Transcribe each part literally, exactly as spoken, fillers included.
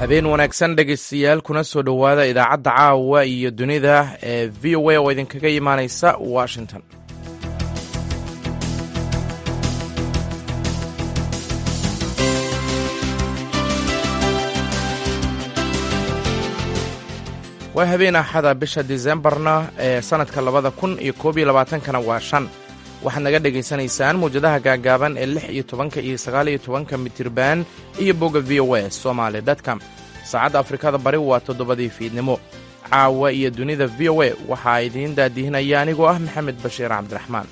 Habeen wanaagsan, dhegaystayaal, kuna soo dhowaada idaacadda caawa iyo dunida ee V O A oo idinkaga imaaneysa Washington. Waa habeen Axada, bisha Disembarna ee sanadka labada kun iyo koob iyo labaatankana waa shan. Waxaad naga dhegaysanaysaan mawjadaha gaagaaban ee lix iyo tobanka iyo sagaal iyo tobanka mitirban iyo bogga V O A Somaly com. Saacadda Afrikada Bari waa toddobadii fiidnimo. Caawa iyo dunida V O A waxaa idiin daadihinaya anigoo ah Maxamed Bashiir Cabdiraxmaan.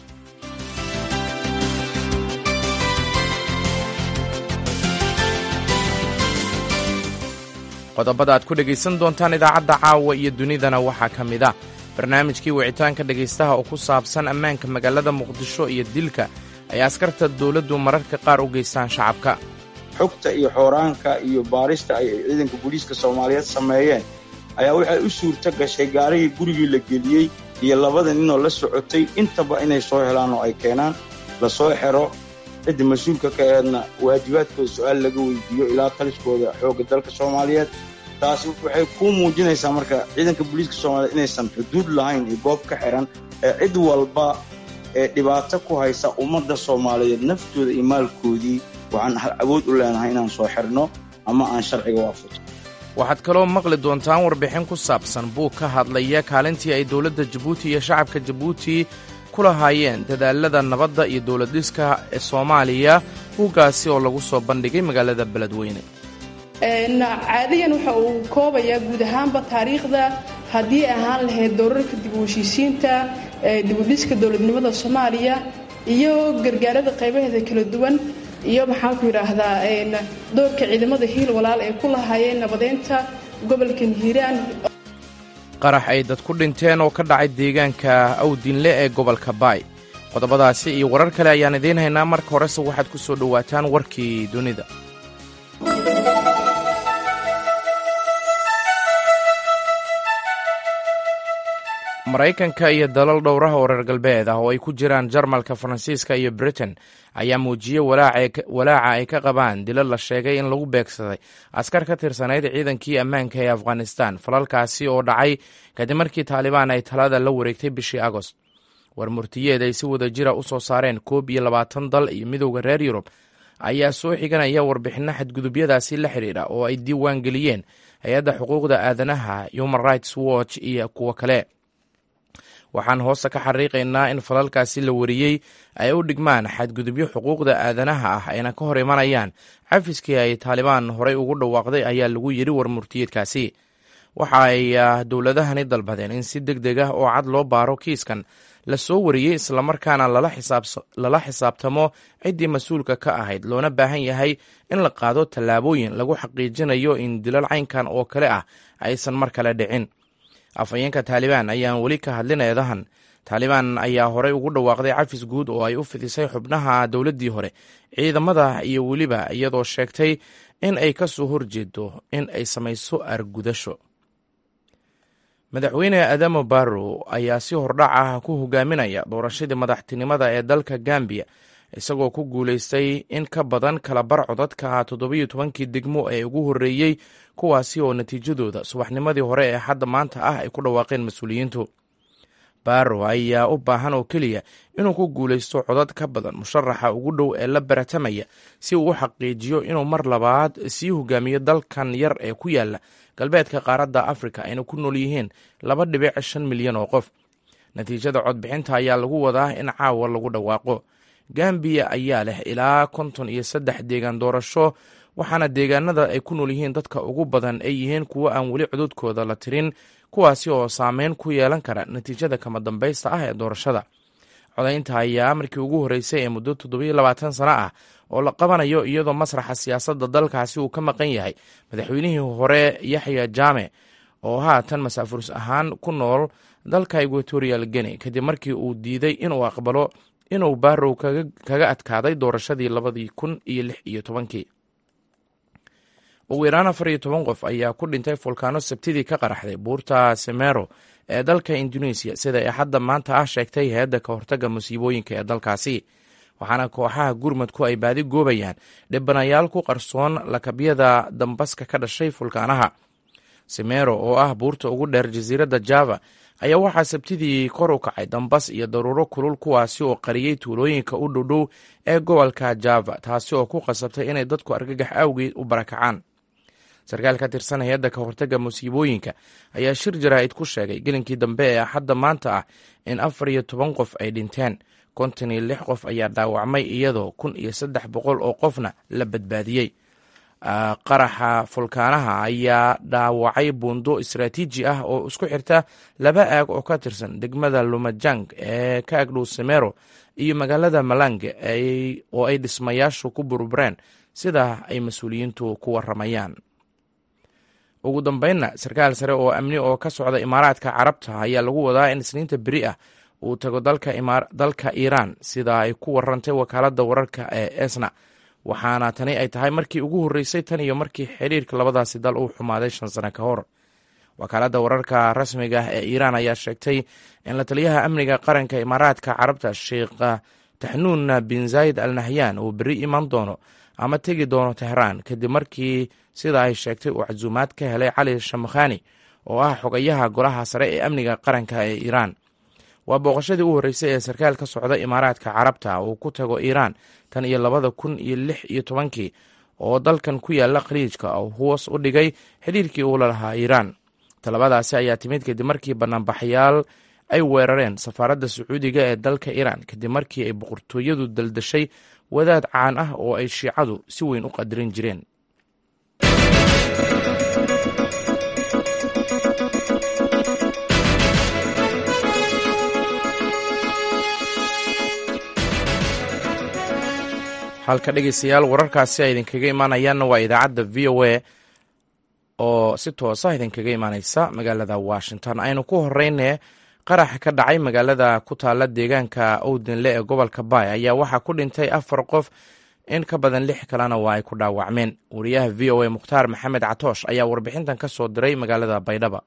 Qodobada aad ku dhegaysan doontaan idaacadda caawa iyo dunidana waxaa ka mid ah barnaamijkii wicitaanka dhegaystaha oo ku saabsan ammaanka magaalada Muqdisho iyo dilka ay askarta dowladdu mararka qaar u geystaan shacabka. Xogta iyo xooraanka iyo baarista ay ciidanka booliiska Soomaaliyeed sameeyeen ayaa waxay u suurto gashay gaarigii gurigii la geliyey iyo labada ninoo la socotay intaba inay soo helaan oo ay keenaan, lasoo xero, cidda mas-uulka ka eedna waajibaadkooda su-aal laga weydiiyo ilaa taliskooda xoogga dalka Soomaaliyeed. Taasi waxay kuu muujinaysaa marka ciidanka booliiska Soomaaliyeed inaysan xuduud lahayn iyo goob ka xiran ee cid walba ee dhibaato ku haysa ummadda Soomaaliyeed naftooda iyo maalkoodii waxaan awood u leenahay inaan soo xirno ama aan sharciga waafaqo. Waxaad kaloo maqli doontaan warbixin ku saabsan buug ka hadlaya kaalintii ay dowladda Jabuuti iyo shacabka Jabuuti ku lahaayeen dadaalada nabadda iyo dowladdhiska ee Soomaaliya, buuggaasi oo lagu soo bandhigay magaalada Beledweyne. Caadiyan waxa uu koobayaa guud ahaanba taariikhda haddii ahaan lahayd doorarka dib u heshiisiinta, dibudhiska dowladnimada Soomaaliya iyo gargaarada qaybaheeda kala duwan, iyo maxaanku yidhaahdaa doorka ciidamada Hiil Walaal ay ku lahaayeen nabadeynta gobolkan Hiiraan. Qarax ay dad ku dhinteen oo ka dhacay deegaanka Awdinle ee gobolka Baay. Qodobadaasi iyo warar kale ayaan idiin haynaa. Marka horese waxaad ku soo dhowaataan warkii dunida. Maraykanka iyo dalal dhowraha oo reer galbeed ah oo ay ku jiraan Jarmalka, Faransiiska iyo Britain ayaa muujiyey walaaca ay ka qabaan dilal la sheegay in lagu beegsaday askar ka tirsanayd ciidankii ammaanka ee Afghanistan, falalkaasi oo dhacay kadib markii Taalibaan ay talada la wareegtay bishii Agost. War murtiyeed ay si wada jira u soo saareen koob iyo labaatan dal iyo midowda reer Yurub ayaa soo xiganaya warbixinno xadgudubyadaasi la xidhiidha oo ay diiwaan geliyeen hay-adda xuquuqda aadanaha Human Rights Watch iyo kuwo kale. Waxaan hoosta ka xariiqaynaa in falalkaasi la wariyey ay u dhigmaan xadgudubyo xuquuqda aadanaha ah ayna ka hor imanayaan cafiskii ay Taalibaan horey ugu dhawaaqday, ayaa lagu yidhi war murtiyeedkaasi. Waxa ay dowladahani dalbadeen in si deg deg ah oo cad loo baaro kiiskan la soo wariyey, islamarkaana lala xisaabtamo ciddii mas-uulka ka ahayd, loona baahan yahay in la qaado tallaabooyin lagu xaqiijinayo in dilal caynkan oo kale ah aysan mar kale dhicin. Afhayeenka Taalibaan ayaan weli ka hadlin eedahan. Taalibaan ayaa horey ugu dhawaaqday cafis guud oo ay u fidisay xubnaha dowladdii hore, ciidamada iyo weliba, iyadoo sheegtay in ay ka soo horjeedo in ay samayso argudasho. Madaxweyne Adamo Barrow ayaa si hordhac ah ku hogaaminaya doorashadii madaxtinimada ee dalka Gambiya, isagoo ku guulaystay in ka badan kala bar codadka toddobiyo tobankii degmo ee ugu horreeyey, kuwaasi oo natiijadooda subaxnimadii hore ee hadda maanta ah ay ku dhawaaqeen mas-uuliyiintu. Barrow ayaa u baahan oo keliya inuu ku guulaysto codad ka badan musharaxa ugu dhow ee la baratamaya si uu u xaqiijiyo inuu mar labaad sii hogaamiyo dalkan yar ee ku yaala galbeedka qaaradda Afrika ayna ku nool yihiin laba dhibic shan milyan oo qof. Natiijada codbixinta ayaa lagu wadaa in caawa lagu dhawaaqo. Gambiya ayaa leh ilaa konton iyo saddex deegaan doorasho, waxaana deegaanada ay ku nool yihiin dadka ugu badan ay yihiin kuwo aan weli cododkooda la tirin, kuwaasi oo saameyn ku yeelan kara natiijada kama dambaysta ah ee doorashada. Codaynta ayaa markii ugu horreysay ee muddo toddobiyo labaatan sano ah oo la qabanayo, iyadoo masraxa siyaasadda dalkaasi uu ka maqan yahay madaxweynihii hore Yaxya Jaame oo haatan masaafurus ahaan ku nool dalka Equatorial Guinea, kadib markii uu diiday inuu aqbalo inuu Barrow kaga adkaaday doorashadii labadii kun iyo lix iyo tobankii. Ugu yaraan afar iyo toban qof ayaa ku dhintay fulkaano Sabtidii ka qaraxday buurta Semero ee dalka Indonesia, sida ay hadda maanta ah sheegtay hay-adda ka hortagga musiibooyinka ee dalkaasi. waxaana kooxaha gurmadku ay baadi goobayaan dhibanayaal ku qarsoon lakabyada dambaska ka dhashay fulkaanaha. Simero oo ah buurta ugu dheer jasiiradda Java ayaa waxaa sabtidii kor u kacay dambas iyo daruuro kulul, kuwaasi oo qariyey tuulooyinka u dhowdhow ee gobolka Java, taasi oo ku qasabtay inay dadku argagax awgeed u barakacaan. Sarkaal ka tirsan hay-adda ka hortagga musiibooyinka ayaa shir jaraa'id ku sheegay gelinkii dambe ee Axadda maanta ah in afar iyo toban qof ay dhinteen, konton iyo lix qof ayaa dhaawacmay, iyadoo kun iyo saddex boqol oo qofna la badbaadiyey. Qaraxa fulkaanaha ayaa dhaawacay buundo istaraatiiji ah oo isku xirta laba aag oo ka tirsan degmada Lumajang ee ka agdhow Simero iyo magaalada Malang oo ay dhismayaashu ku burbureen, sida ay mas-uuliyiintu ku waramayaan. Ugu dambeynna, sarkaal sare oo amni oo ka socda Imaaraadka Carabta ayaa lagu wadaa in Isniinta beri ah uu tago dalka Iiraan, sida ay ku warantay wakaaladda wararka ee Esna, waxaana tani ay tahay markii ugu horreysay tan iyo markii xiriirka labadaasi dal uu xumaaday shan sano ka hor. Wakaaladda wararka rasmiga ah ee Iiraan ayaa sheegtay in la taliyaha amniga qaranka Imaaraadka Carabta, Sheikh Taxnuun bin Zayd Al Nahyan, uu beri iman doono ama tegi doono Tehraan, kadib markii sida ay sheegtay uu casuumaad ka helay Cali Shamkhani oo ah xogayaha golaha sare ee amniga qaranka ee Iiraan. Waa booqashadii u horreysay ee sarkaal ka socda Imaaraadka Carabta uu ku tago Iiraan tan iyo labada kun iyo lix iyo tobankii oo dalkan ku yaala Khaliijka oo hoos u dhigay xidhiirkii uu la lahaa Iiraan. Talabadaasi ayaa timid kadib markii banaanbaxayaal ay weerareen safaaradda Sacuudiga ee dalka Iiraan, kadib markii ay boqortooyadu daldashay wadaad caan ah oo ay Shiicadu si weyn u qadarin jireen. Halka dhegeystayaal wararkaasi ay idinkaga imaanayaanna waa idaacadda V O A oo si toosa idinkaga imaaneysa magaalada Washington. Aynu ku horeyne, qarax ka dhacay magaalada ku taala deegaanka Owdinle ee gobolka Baay ayaa waxaa ku dhintay afar qof, in ka badan lix kalena waa ay ku dhaawacmeen. Wariyaha V O A Mukhtaar Maxamed Catoosh ayaa warbixintan ka soo diray magaalada Baydhaba.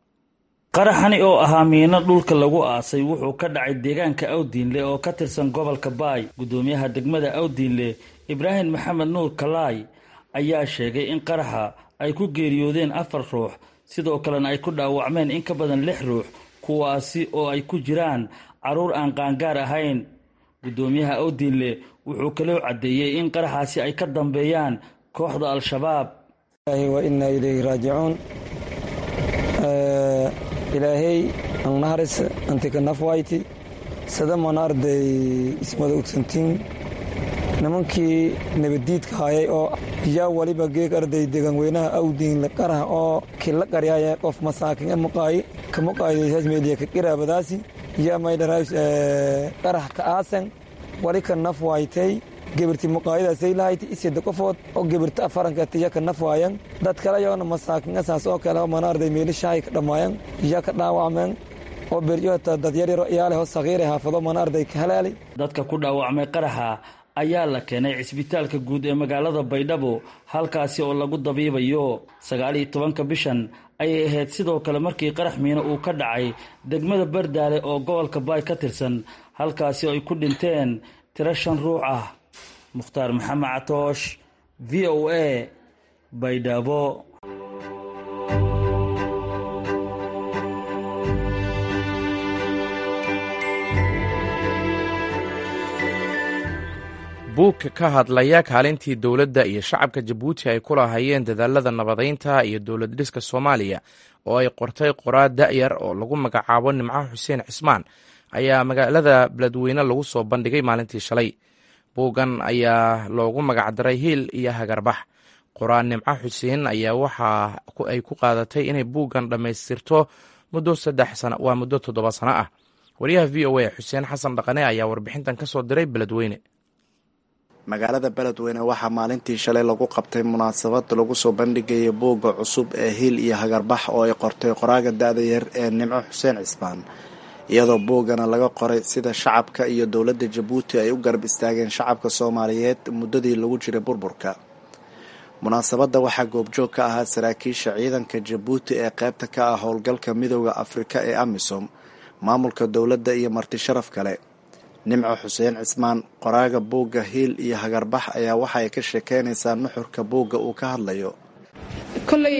Qaraxani oo ahaa miino dhulka lagu aasay wuxuu ka dhacay deegaanka Awdiinle oo ka tirsan gobolka Baay. Gudoomiyaha degmada Awdiinle, Ibraahim Maxamed Nuur Kalaay, ayaa sheegay in qaraxa ay ku geeriyoodeen afar ruux, sidoo kalena ay ku dhaawacmeen in ka badan lix ruux, kuwaasi oo ay ku jiraan carruur aan qaangaar ahayn. Gudoomiyaha Awdiinle wuxuu kaloo caddeeyey in qaraxaasi ay ka dambeeyaan kooxda Al-Shabaab. Wa innaa ilayhi raajicuun. Ilaahay angnaharis antika nafwayti sadamana arday ismada ogsantiin nimankii nabadiidka hayay oo yaa waliba geeg arday deegaanweynaha Awdiin la qaraha oo kila qaryaaya qof masaakin muqaayi kamuqaayaysaas meeliya ka qiraabadaasi yaa maydharays qarax ka aasan wali ka nafwaytay gebirti muqaayadaasay lahayti isida qofood oo gebirta afaranka tiya ka nafwaayan dad kale yoona masaakin asaas oo kale mana arday meelishahay ka dhammaayan yaa ka dhaawacmeen oo beryo dad yaryaro iyaaleho sagiire haafado mana arday ka halaali. Dadka ku dhaawacmay qaraxa ayaa la keenay cisbitaalka guud ee magaalada Baydhabo, halkaasi oo lagu dabiibayo. Sagaal iyo tobanka bishan ayay ahayd sidoo kale markii qarax miino uu ka dhacay degmada Bardaale oo gobolka Baay ka tirsan, halkaasi oo ay ku dhinteen tiro shan ruux ah. Mukhtaar Maxamed Catoosh, V O A, Baydhabo. Buug ka hadlaya kaalintii dowladda iyo shacabka Jabuuti ay ku lahaayeen dadaalada nabadeynta iyo dowlad dhiska Soomaaliya oo ay qortay qoraa da'yar oo lagu magacaabo Nimco Xuseen Cismaan ayaa magaalada Beledweyne lagu soo bandhigay maalintii shalay. Buuggan ayaa loogu magacdaray Hiil iyo Hagarbax. Qoraa Nimco Xuseen ayaa waxa ay ku qaadatay inay buuggan dhammaystirto muddo saddex sana, waa muddo toddoba sano ah. Wariyaha V O A Xuseen Xasan Dhaqane ayaa warbixintan ka soo diray Beledweyne. Magaalada Beledweyne waxaa maalintii shalay lagu qabtay munaasabad lagu soo bandhigayay buugga cusub ee Hiil iyo Hagarbax oo ay qortay qoraaga da'da yar ee Nimco Xuseen Cismaan, iyadoo buuggana laga qoray sida shacabka iyo dowladda Jabuuti ay u garab istaageen shacabka Soomaaliyeed muddadii lagu jiray burburka. Munaasabadda waxaa goobjoog ka ahaa saraakiisha ciidanka Jabuuti ee qaybta ka ah howlgalka Midowda Afrika ee AMISOM, maamulka dowladda iyo marti sharaf kale. Nimco Xuseen Cismaan, qoraaga buugga Hiil iyo Hagarbax, ayaa waxa ay ka sheekeynaysaa nuxurka buugga uu ka hadlayo. Kolley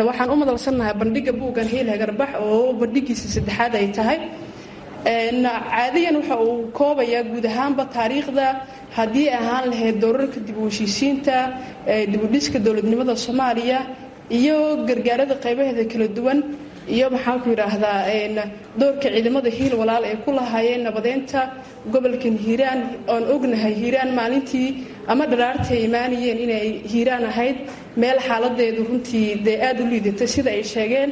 waxaan u madalsannahay bandhigga buuggan Hiil Hagarbax oo bandhiggiisa saddexaad ay tahay. Caadiyan waxa uu koobayaa guud ahaanba taariikhda haddii ahaan lahayd doorarka dib u heshiisiinta, dib u dhiska dowladnimada Soomaaliya iyo gargaarada qaybaheeda kala duwan, iyo maxaan ku yidhaahdaa doorka ciidamada Hiil Walaal ay ku lahaayeen nabadeynta gobolkan Hiiraan. Oon ognahay Hiiraan maalintii ama dharaartii ay imaanayeen inay Hiiraan ahayd meel xaaladeedu runtii dee aada u liidatay, sida ay sheegeen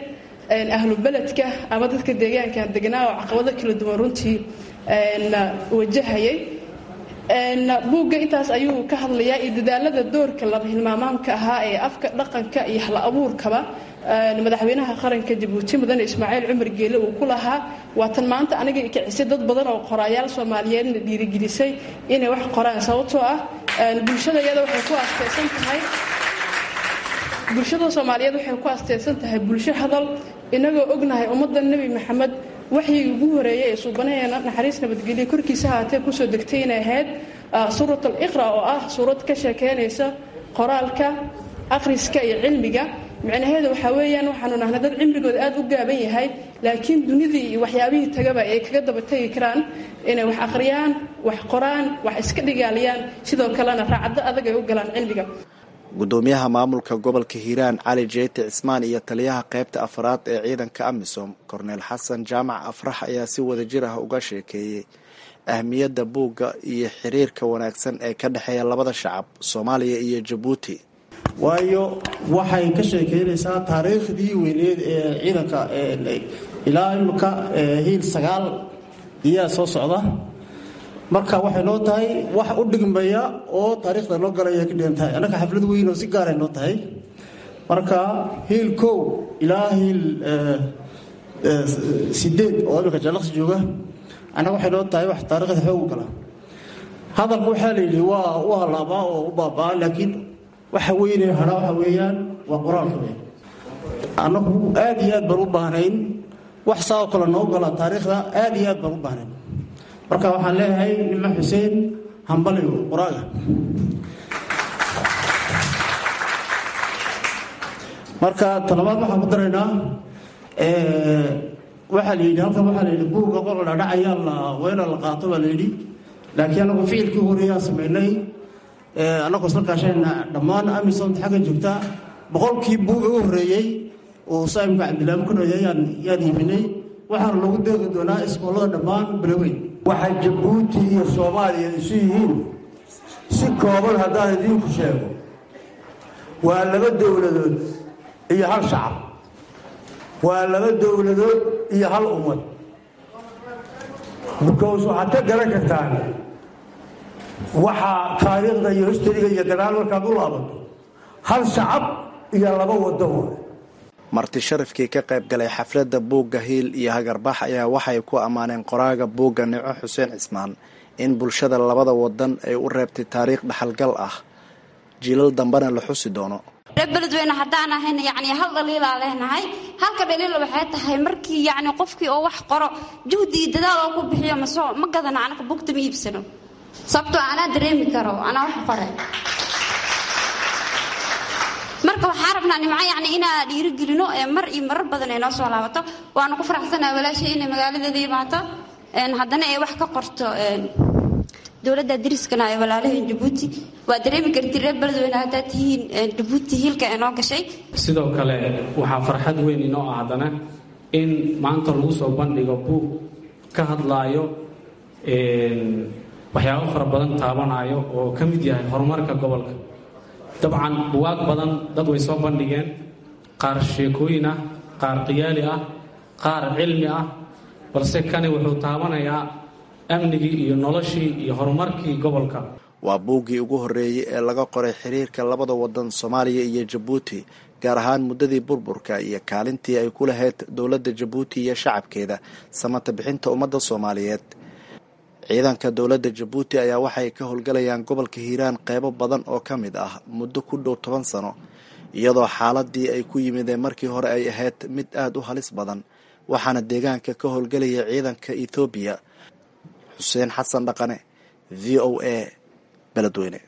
ahlu beledka ama dadka deegaankan deganaa oo caqabado kala duwan runtii wajahayay. Buugga intaas ayuu ka hadlayaa iyo dadaalada doorka laba hilmaamaamka ahaa ee afka, dhaqanka iyo hal abuurkaba madaxweynaha qaranka Jabuuti Mudane Ismaaciil Cumar Geele uu ku lahaa. Waatan maanta aniga kicisay dad badan oo qoraayaal Soomaaliyeedna dhiirigelisay inay wax qoraan, sababtoo ah bulshada iyada waxay ku asteysan tahay bulshada Soomaaliyeed waxay ku asteysan tahay bulsho hadal. Inagoo ognahay ummadda Nebi Maxamed waxyigii ugu horeeyay ee suubanaheena naxariis nabadgelyo korkiisa haatee kusoo degtay inay ahayd suurat al-Iqra, oo ah suurad ka sheekeynaysa qoraalka, akhriska iyo cilmiga. Micnaheedu waxaa weeyaan waxaanu nahnay dad cimrigooda aada u gaaban yahay, laakiin dunidii iyo waxyaabihii tagaba ay kaga daba tegi karaan inay wax akhriyaan, wax qoraan, wax iska dhigaaliyaan, sidoo kalena raacaddo adag ay u galaan cilmiga. Gudoomiyaha maamulka gobolka Hiiraan Cali Jeyti Cismaan iyo taliyaha qaybta afraad ee ciidanka AMISOM Korneel Xasan Jaamac Afrax ayaa si wadajir ah uga sheekeeyey ahmiyadda buugga iyo xiriirka wanaagsan ee ka dhexeeya labada shacab, Soomaaliya iyo Jabuuti. Waayo waxay ka sheekeynaysaa taariikhdii weyneed ee ciidanka ilaa imika Hiil sagaal iyaa soo socda. Marka waxay noo tahay wax u dhigmaya oo taariikhda noo galaya ka dhigan tahay. Annaka xaflad weyn oo si gaaray noo tahay. Marka Hiil kow ilaa Hiil sideed oo imika Jaalaqsi jooga, annaga waxay noo tahay wax taariikhda xoog u gala. Hadalku waxaa la yidhi waa u halaabaa oo u baabaa, laakiin waxa weyne hadhaa waxa weeyaan waa qoraalka weyn. Annagu aad iyo aad baan u baahnayn wax saa oo kale noo gala taariikhda, aad iyo aad baan u baahnayn. Marka waxaan leeyahay Nima Xuseen hambaliyo qoraaga. Marka talabaad waxaan ku daraynaa, waxaa la yidhi halkan, waxaa la yidhi buugga qol dhadhacayaa la weena la qaato baa la yidhi, laakiin anagu ficilkii horeeyaa samaynay annagoo isla kaashanayna dhammaan AMISOM xagga joogta. Boqolkii buuga u horreeyey oo saaimka Cabdillahi ku noyay yaan yaan iibinay, waxaana lagu deeqi doonaa iskoolada dhammaan Beloweyn. Waxay Jabuuti iyo Soomaaliya isu yihiin si kooban haddaan idiinku sheego, waa laba dowladood iyo hal shacab, waa laba dowladood iyo hal ummad. Because waxaad ka garan kartaan waxaa taariikhda iyo historyga iyo gadaal markaad u laabato, hal shacab iyo laba waddan waay. Marti sharafkii ka qayb galay xafladda buugga Hiil iyo Hagarbax ayaa waxay ku ammaaneen qoraaga buugga Nimco Xuseen Cismaan in bulshada labada wadan ay u reebtay taariikh dhaxalgal ah, jiilal dambena la xusi doono. Reer Beledweyne haddaan ahayna yacni hal dhaliilaa leenahay. Halka dhaliila waxay tahay markii yacni qofkii oo wax qoro juhdi iyo dadaal oo ku bixiyo masoo ma gadana, anaka buugta ma iibsano, sababtoo anaa dareemi karo anaa wax qoray. Marka waxaa rabnaa Nimco yacni inaa dhiirigelino ee mar iyo marar badan ay noo soo laabato. Waanu ku faraxsanahay walaashay inay magaaladeeda imaato, haddana ay wax ka qorto dowladda dariskana ee walaalaheen Jabuuti. Waa dareemi karti reer Beledweyne haddaad tihiin Jabuuti hiilka ee noo gashay. Sidoo kale waxaa farxad weyn inoo ah haddana in maanta lagu soo bandhigo buug ka hadlaayo waxyaabo fara badan taabanayo oo ka mid yahay horumarka gobolka. Dabcan buwaag badan dad way soo bandhigeen, qaar sheekooyin ah, qaar qiyaali ah, qaar cilmi ah, balse kani wuxuu taabanayaa amnigii iyo noloshii iyo horumarkii gobolka. Waa buuggii ugu horreeyey ee laga qoray xiriirka labada wadan Soomaaliya iyo Jabuuti, gaar ahaan muddadii burburka iyo kaalintii ay ku lahayd dowladda Jabuuti iyo shacabkeeda samata bixinta ummadda Soomaaliyeed. Ciidanka dowladda Jabuuti ayaa waxay ka howlgalayaan gobolka Hiiraan qeybo badan oo ka mid ah muddo ku dhow toban sano, iyadoo xaaladii ay ku yimideen markii hore ay ahayd mid aada u halis badan, waxaana deegaanka ka howlgalaya ciidanka Ethoobiya. Xuseen Xasan Dhaqane, V O A, Beledweyne.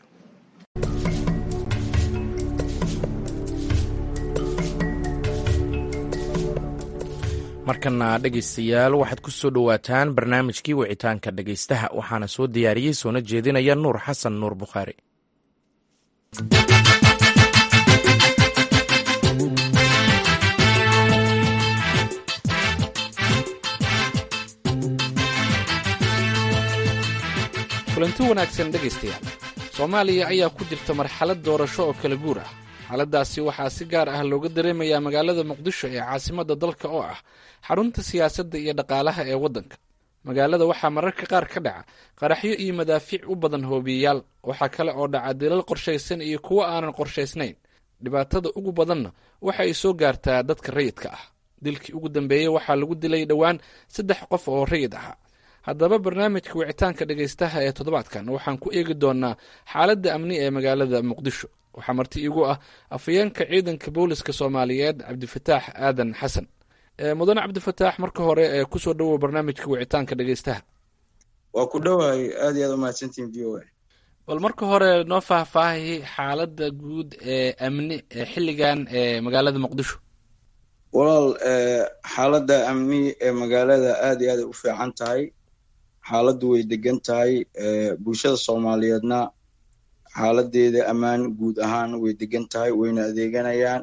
Markana dhegaystayaal, waxaad ku soo dhowaataan barnaamijkii wicitaanka dhegaystaha. Waxaana soo diyaariyey soona jeedinaya Nuur Xasan Nuur Bukhaari. Kulanti wanaagsan dhegaystayaal. Soomaaliya ayaa ku jirta marxalad doorasho oo kala guur ah. Xaaladdaasi waxaa si gaar ah looga dareemayaa magaalada Muqdisho ee caasimadda dalka, oo ah xarunta siyaasadda iyo dhaqaalaha ee waddanka. Magaalada waxaa mararka qaar ka dhaca qaraxyo iyo madaafiic u badan hoobiyeyaal. Waxaa kale oo dhaca dilal qorshaysan iyo kuwo aanan qorshaysnayn. Dhibaatada ugu badanna waxa ay soo gaartaa dadka rayidka ah. Dilkii ugu dambeeyey waxaa lagu dilay dhowaan saddex qof oo rayid ahaa. Haddaba, barnaamijka wicitaanka dhegaystaha ee toddobaadkan waxaan ku eegi doonaa xaaladda amni ee magaalada Muqdisho. Waxaa marti iigu ah afhayeenka ciidanka booliska Soomaaliyeed, Cabdifataax Aadan Xasan. Mudane Cabdifataax, marka hore ee kusoo dhowow barnaamijka wicitaanka dhegaystaha. Waa ku dhowahay, aad iyo aad umahadsantihin V O A. Bal marka hore noo faahfaahi xaaladda guud ee amni ee xilligan ee magaalada Muqdisho. Walaal, xaaladda amni ee magaalada aad iyo aad ay u fiican tahay. Xaaladdu way degan tahay. Bulshada Soomaaliyeedna xaaladeeda ammaan guud ahaan way degan tahay, wayna adeeganayaan.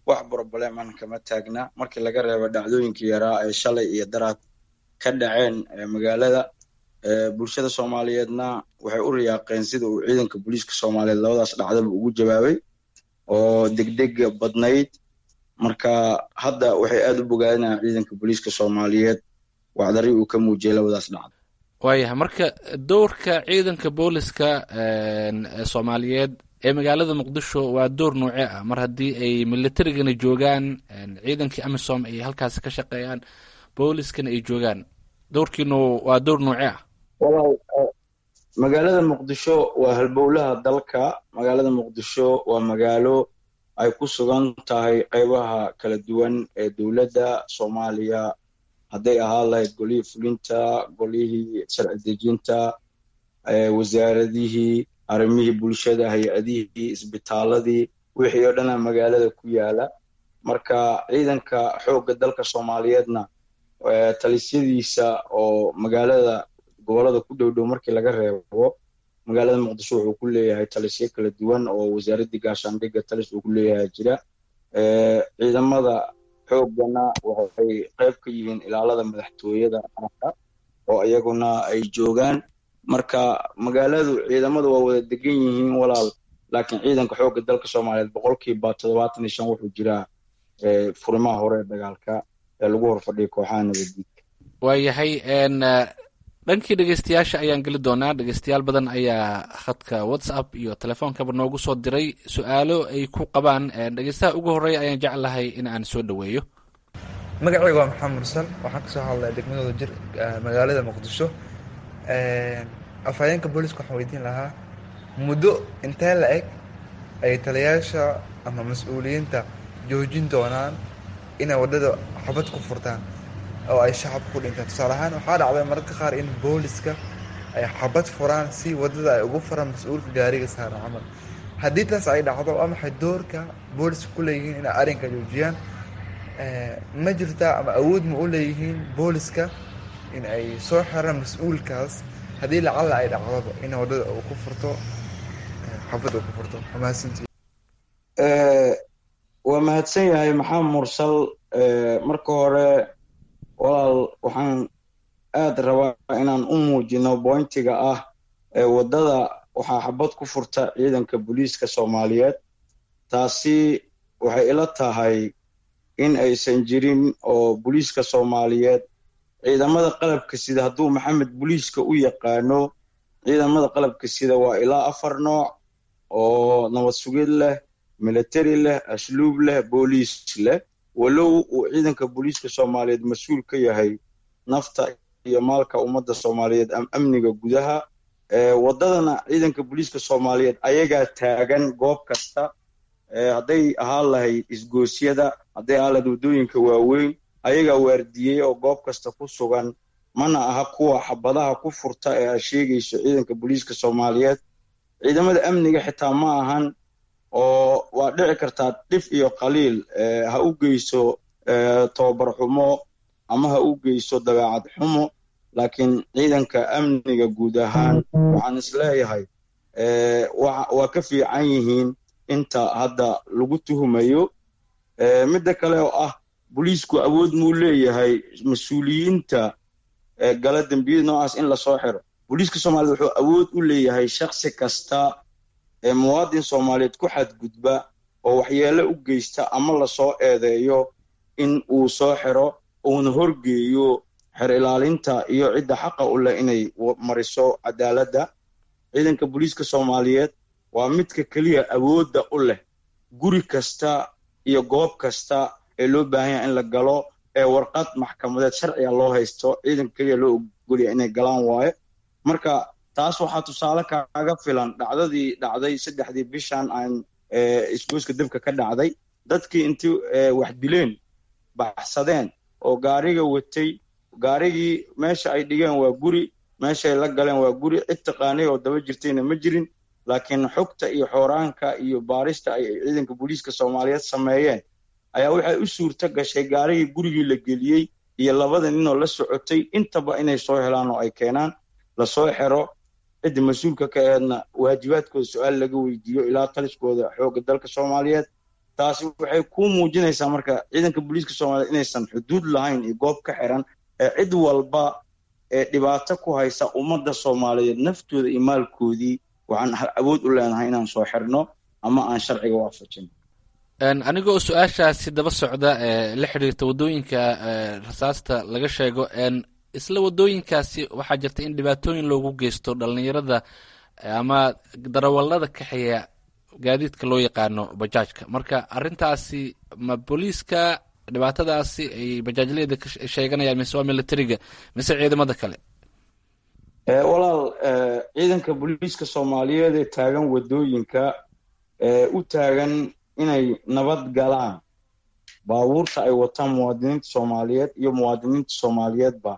Wax problem-an kama taagna markii laga reebo dhacdooyinkii yaraa ee shalay iyo daraad ka dhaceen magaalada. Bulshada Soomaaliyeedna waxay u riyaaqeen sida uu ciidanka booliiska Soomaaliyeed labadaas dhacdaba ugu jawaabay oo degdega badnayd. Marka hadda waxay aad u bogaadinayaan ciidanka booliiska Soomaaliyeed wacdari uu ka muujiyay labadaas dhacdo. Waayahay, marka doorka ciidanka booliska Soomaaliyeed ee magaalada Muqdisho waa door noocee ah, mar haddii ay militarigana joogaan, ciidankii AMISOM ay halkaasi ka shaqeeyaan, booliskana ay joogaan? Doorkiinu waa door noocee ah? Walaal, magaalada Muqdisho waa halbowlaha dalka. Magaalada Muqdisho waa magaalo ay ku sugan tahay qeybaha kala duwan ee dowladda Soomaaliya, hadday ahaan lahayd golihii fulinta, golihii sharci dejinta, wasaaradihii, arrimihii bulshada, hay-adihii, isbitaaladii, wixii oo dhana magaalada ku yaala. Marka ciidanka xoogga dalka Soomaaliyeedna talisyadiisa oo magaalada gobolada ku dhow dhow markii laga reebo, magaalada Muqdisho wuxuu ku leeyahay talisyo kala duwan oo wasaaraddii gaashaandhigga talis uu ku leeyahay jira. Ciidamada xooggana waxay qayb ka yihiin ilaalada madaxtooyada qaranka oo iyaguna ay joogaan. Marka magaaladu ciidamadu waa wada degan yihiin walaal, laakiin ciidanka xoogga dalka Soomaaliyeed boqolkiiba toddobaatan iyo shan wuxuu jiraa furimaha hore ee dagaalka ee lagu horfadhiyo kooxaha nabaddiidka. Waayahay, dhankii dhegeystayaasha ayaan geli doonaa. Dhegeystayaal badan ayaa khadka WhatsApp iyo telefoonkaba noogu soo diray su-aalo ay ku qabaan. Dhegeystaha ugu horreeya ayaan jeclahay in aan soo dhoweeyo. Magacayga waa Maxamed Mursal, waxaan kasoo hadlaya degmadooda jir, magaalada Muqdisho. Afhayeenka booliska waxaan weydiin lahaa, muddo intee la eg ay taliyayaasha ama mas-uuliyiinta joojin doonaan inay waddada xabad ku furtaan oo ay shacabka ku dhintaan? Tusaale ahaan, waxaa dhacday mararka qaar in booliska ay xabad furaan si waddada ay ugu furaan mas-uulka gaariga saaran camal. Haddii taas ay dhacdo, waa maxay doorka booliska ku leeyihiin inay arrinka joojiyaan? Ma jirtaa ama awood ma u leeyihiin booliska in ay soo xiraan mas-uulkaas haddii lacalla ay dhacdaba in waddada uu ku furto xabad uu ku furto? Mahadsantii. Waa mahadsan yahay Maxamed Mursal. Marka hore walaal, waxaan aad rabaa inaan u muujino bointiga ah ee waddada waxaa xabad ku furta ciidanka booliiska Soomaaliyeed. Taasi waxay ila tahay in aysan jirin oo booliiska Soomaaliyeed, ciidamada qalabka sida, hadduu Maxamed booliiska u yaqaano, ciidamada qalabka sida waa ilaa afar nooc oo nabad sugid leh, military leh, asluub leh, booliis leh. Walow uu ciidanka booliiska Soomaaliyeed mas-uul ka yahay nafta iyo maalka ummadda Soomaaliyeed, amniga gudaha waddadana, ciidanka booliiska Soomaaliyeed ayagaa taagan goob kasta, hadday ahaan lahayd isgoosyada, hadday ahaan lahayd waddooyinka waaweyn, ayagaa waardiyey oo goob kasta ku sugan. Mana aha kuwa xabadaha ku furta ee aad sheegayso ciidanka booliiska Soomaaliyeed. Ciidamada amniga xitaa ma ahan, oo waa dhici kartaa dhif iyo qaliil ha u geyso tababar xumo ama ha u geyso dabeecad xumo, laakiin ciidanka amniga guud ahaan waxaan isleeyahay waa ka fiican yihiin inta hadda lagu tuhumayo. Midda kale oo ah, booliisku awood muu leeyahay mas-uuliyiinta gala dembiyada noocaas in lasoo xiro? Booliiska Soomaaliyed wuxuu awood u leeyahay shaksi kasta ee muwaadin Soomaaliyeed ku xadgudba oo waxyeelo u geysta ama lasoo eedeeyo in uu soo xiro, uuna horgeeyo xer ilaalinta iyo cidda xaqa u leh inay mariso cadaaladda. Ciidanka booliiska Soomaaliyeed waa midka keliya awoodda u leh guri kasta iyo goob kasta ee loo baahan yahay in la galo ee warqad maxkamadeed sharciga loo haysto, ciidanka keliya loo ogolya inay galaan waaye. Marka taas waxaa tusaale kaaga filan dhacdadii dhacday saddexdii bishan aan isgoyska dabka ka dhacday. Dadkii intii wax dileen baxsadeen oo gaariga watay, gaarigii meesha ay dhigeen waa guri, meeshay la galeen waa guri, cid taqaanay oo daba jirtayna ma jirin. Laakiin xogta iyo xooraanka iyo baarista ay ciidanka booliiska Soomaaliyeed sameeyeen ayaa waxay u suurto gashay gaarigii gurigii la geliyey iyo labada ninoo la socotay intaba inay soo helaan oo ay keenaan, lasoo xero, cidda mas-uulka ka eedna waajibaadkooda su-aal laga weydiiyo ilaa taliskooda xoogga dalka Soomaaliyeed. Taasi waxay ku muujinaysaa marka ciidanka booliiska Soomaaliyeed inaysan xuduud lahayn iyo goob ka xiran ee cid walba ee dhibaato ku haysa ummadda Soomaaliyeed naftooda iyo maalkoodii waxaan awood u leenahay inaan soo xirno ama aan sharciga waafajin. Anigoo su-aashaasi daba socda ee la xiriirta waddooyinka rasaasta laga sheego, isla waddooyinkaasi waxaa jirta in dhibaatooyin loogu geysto dhalinyarada ama darawallada kaxeeya gaadiidka loo yaqaano bajaajka. Marka arrintaasi ma booliiska dhibaatadaasi ay bajaajleyda ka sheeganayaan mise waa militariga mise ciidamada kale? Walaal, ciidanka booliiska Soomaaliyeed ee taagan waddooyinka ee u taagan inay nabad galaan baabuurta ay wataan muwaadiniinta Soomaaliyeed iyo muwaadiniinta Soomaaliyeedba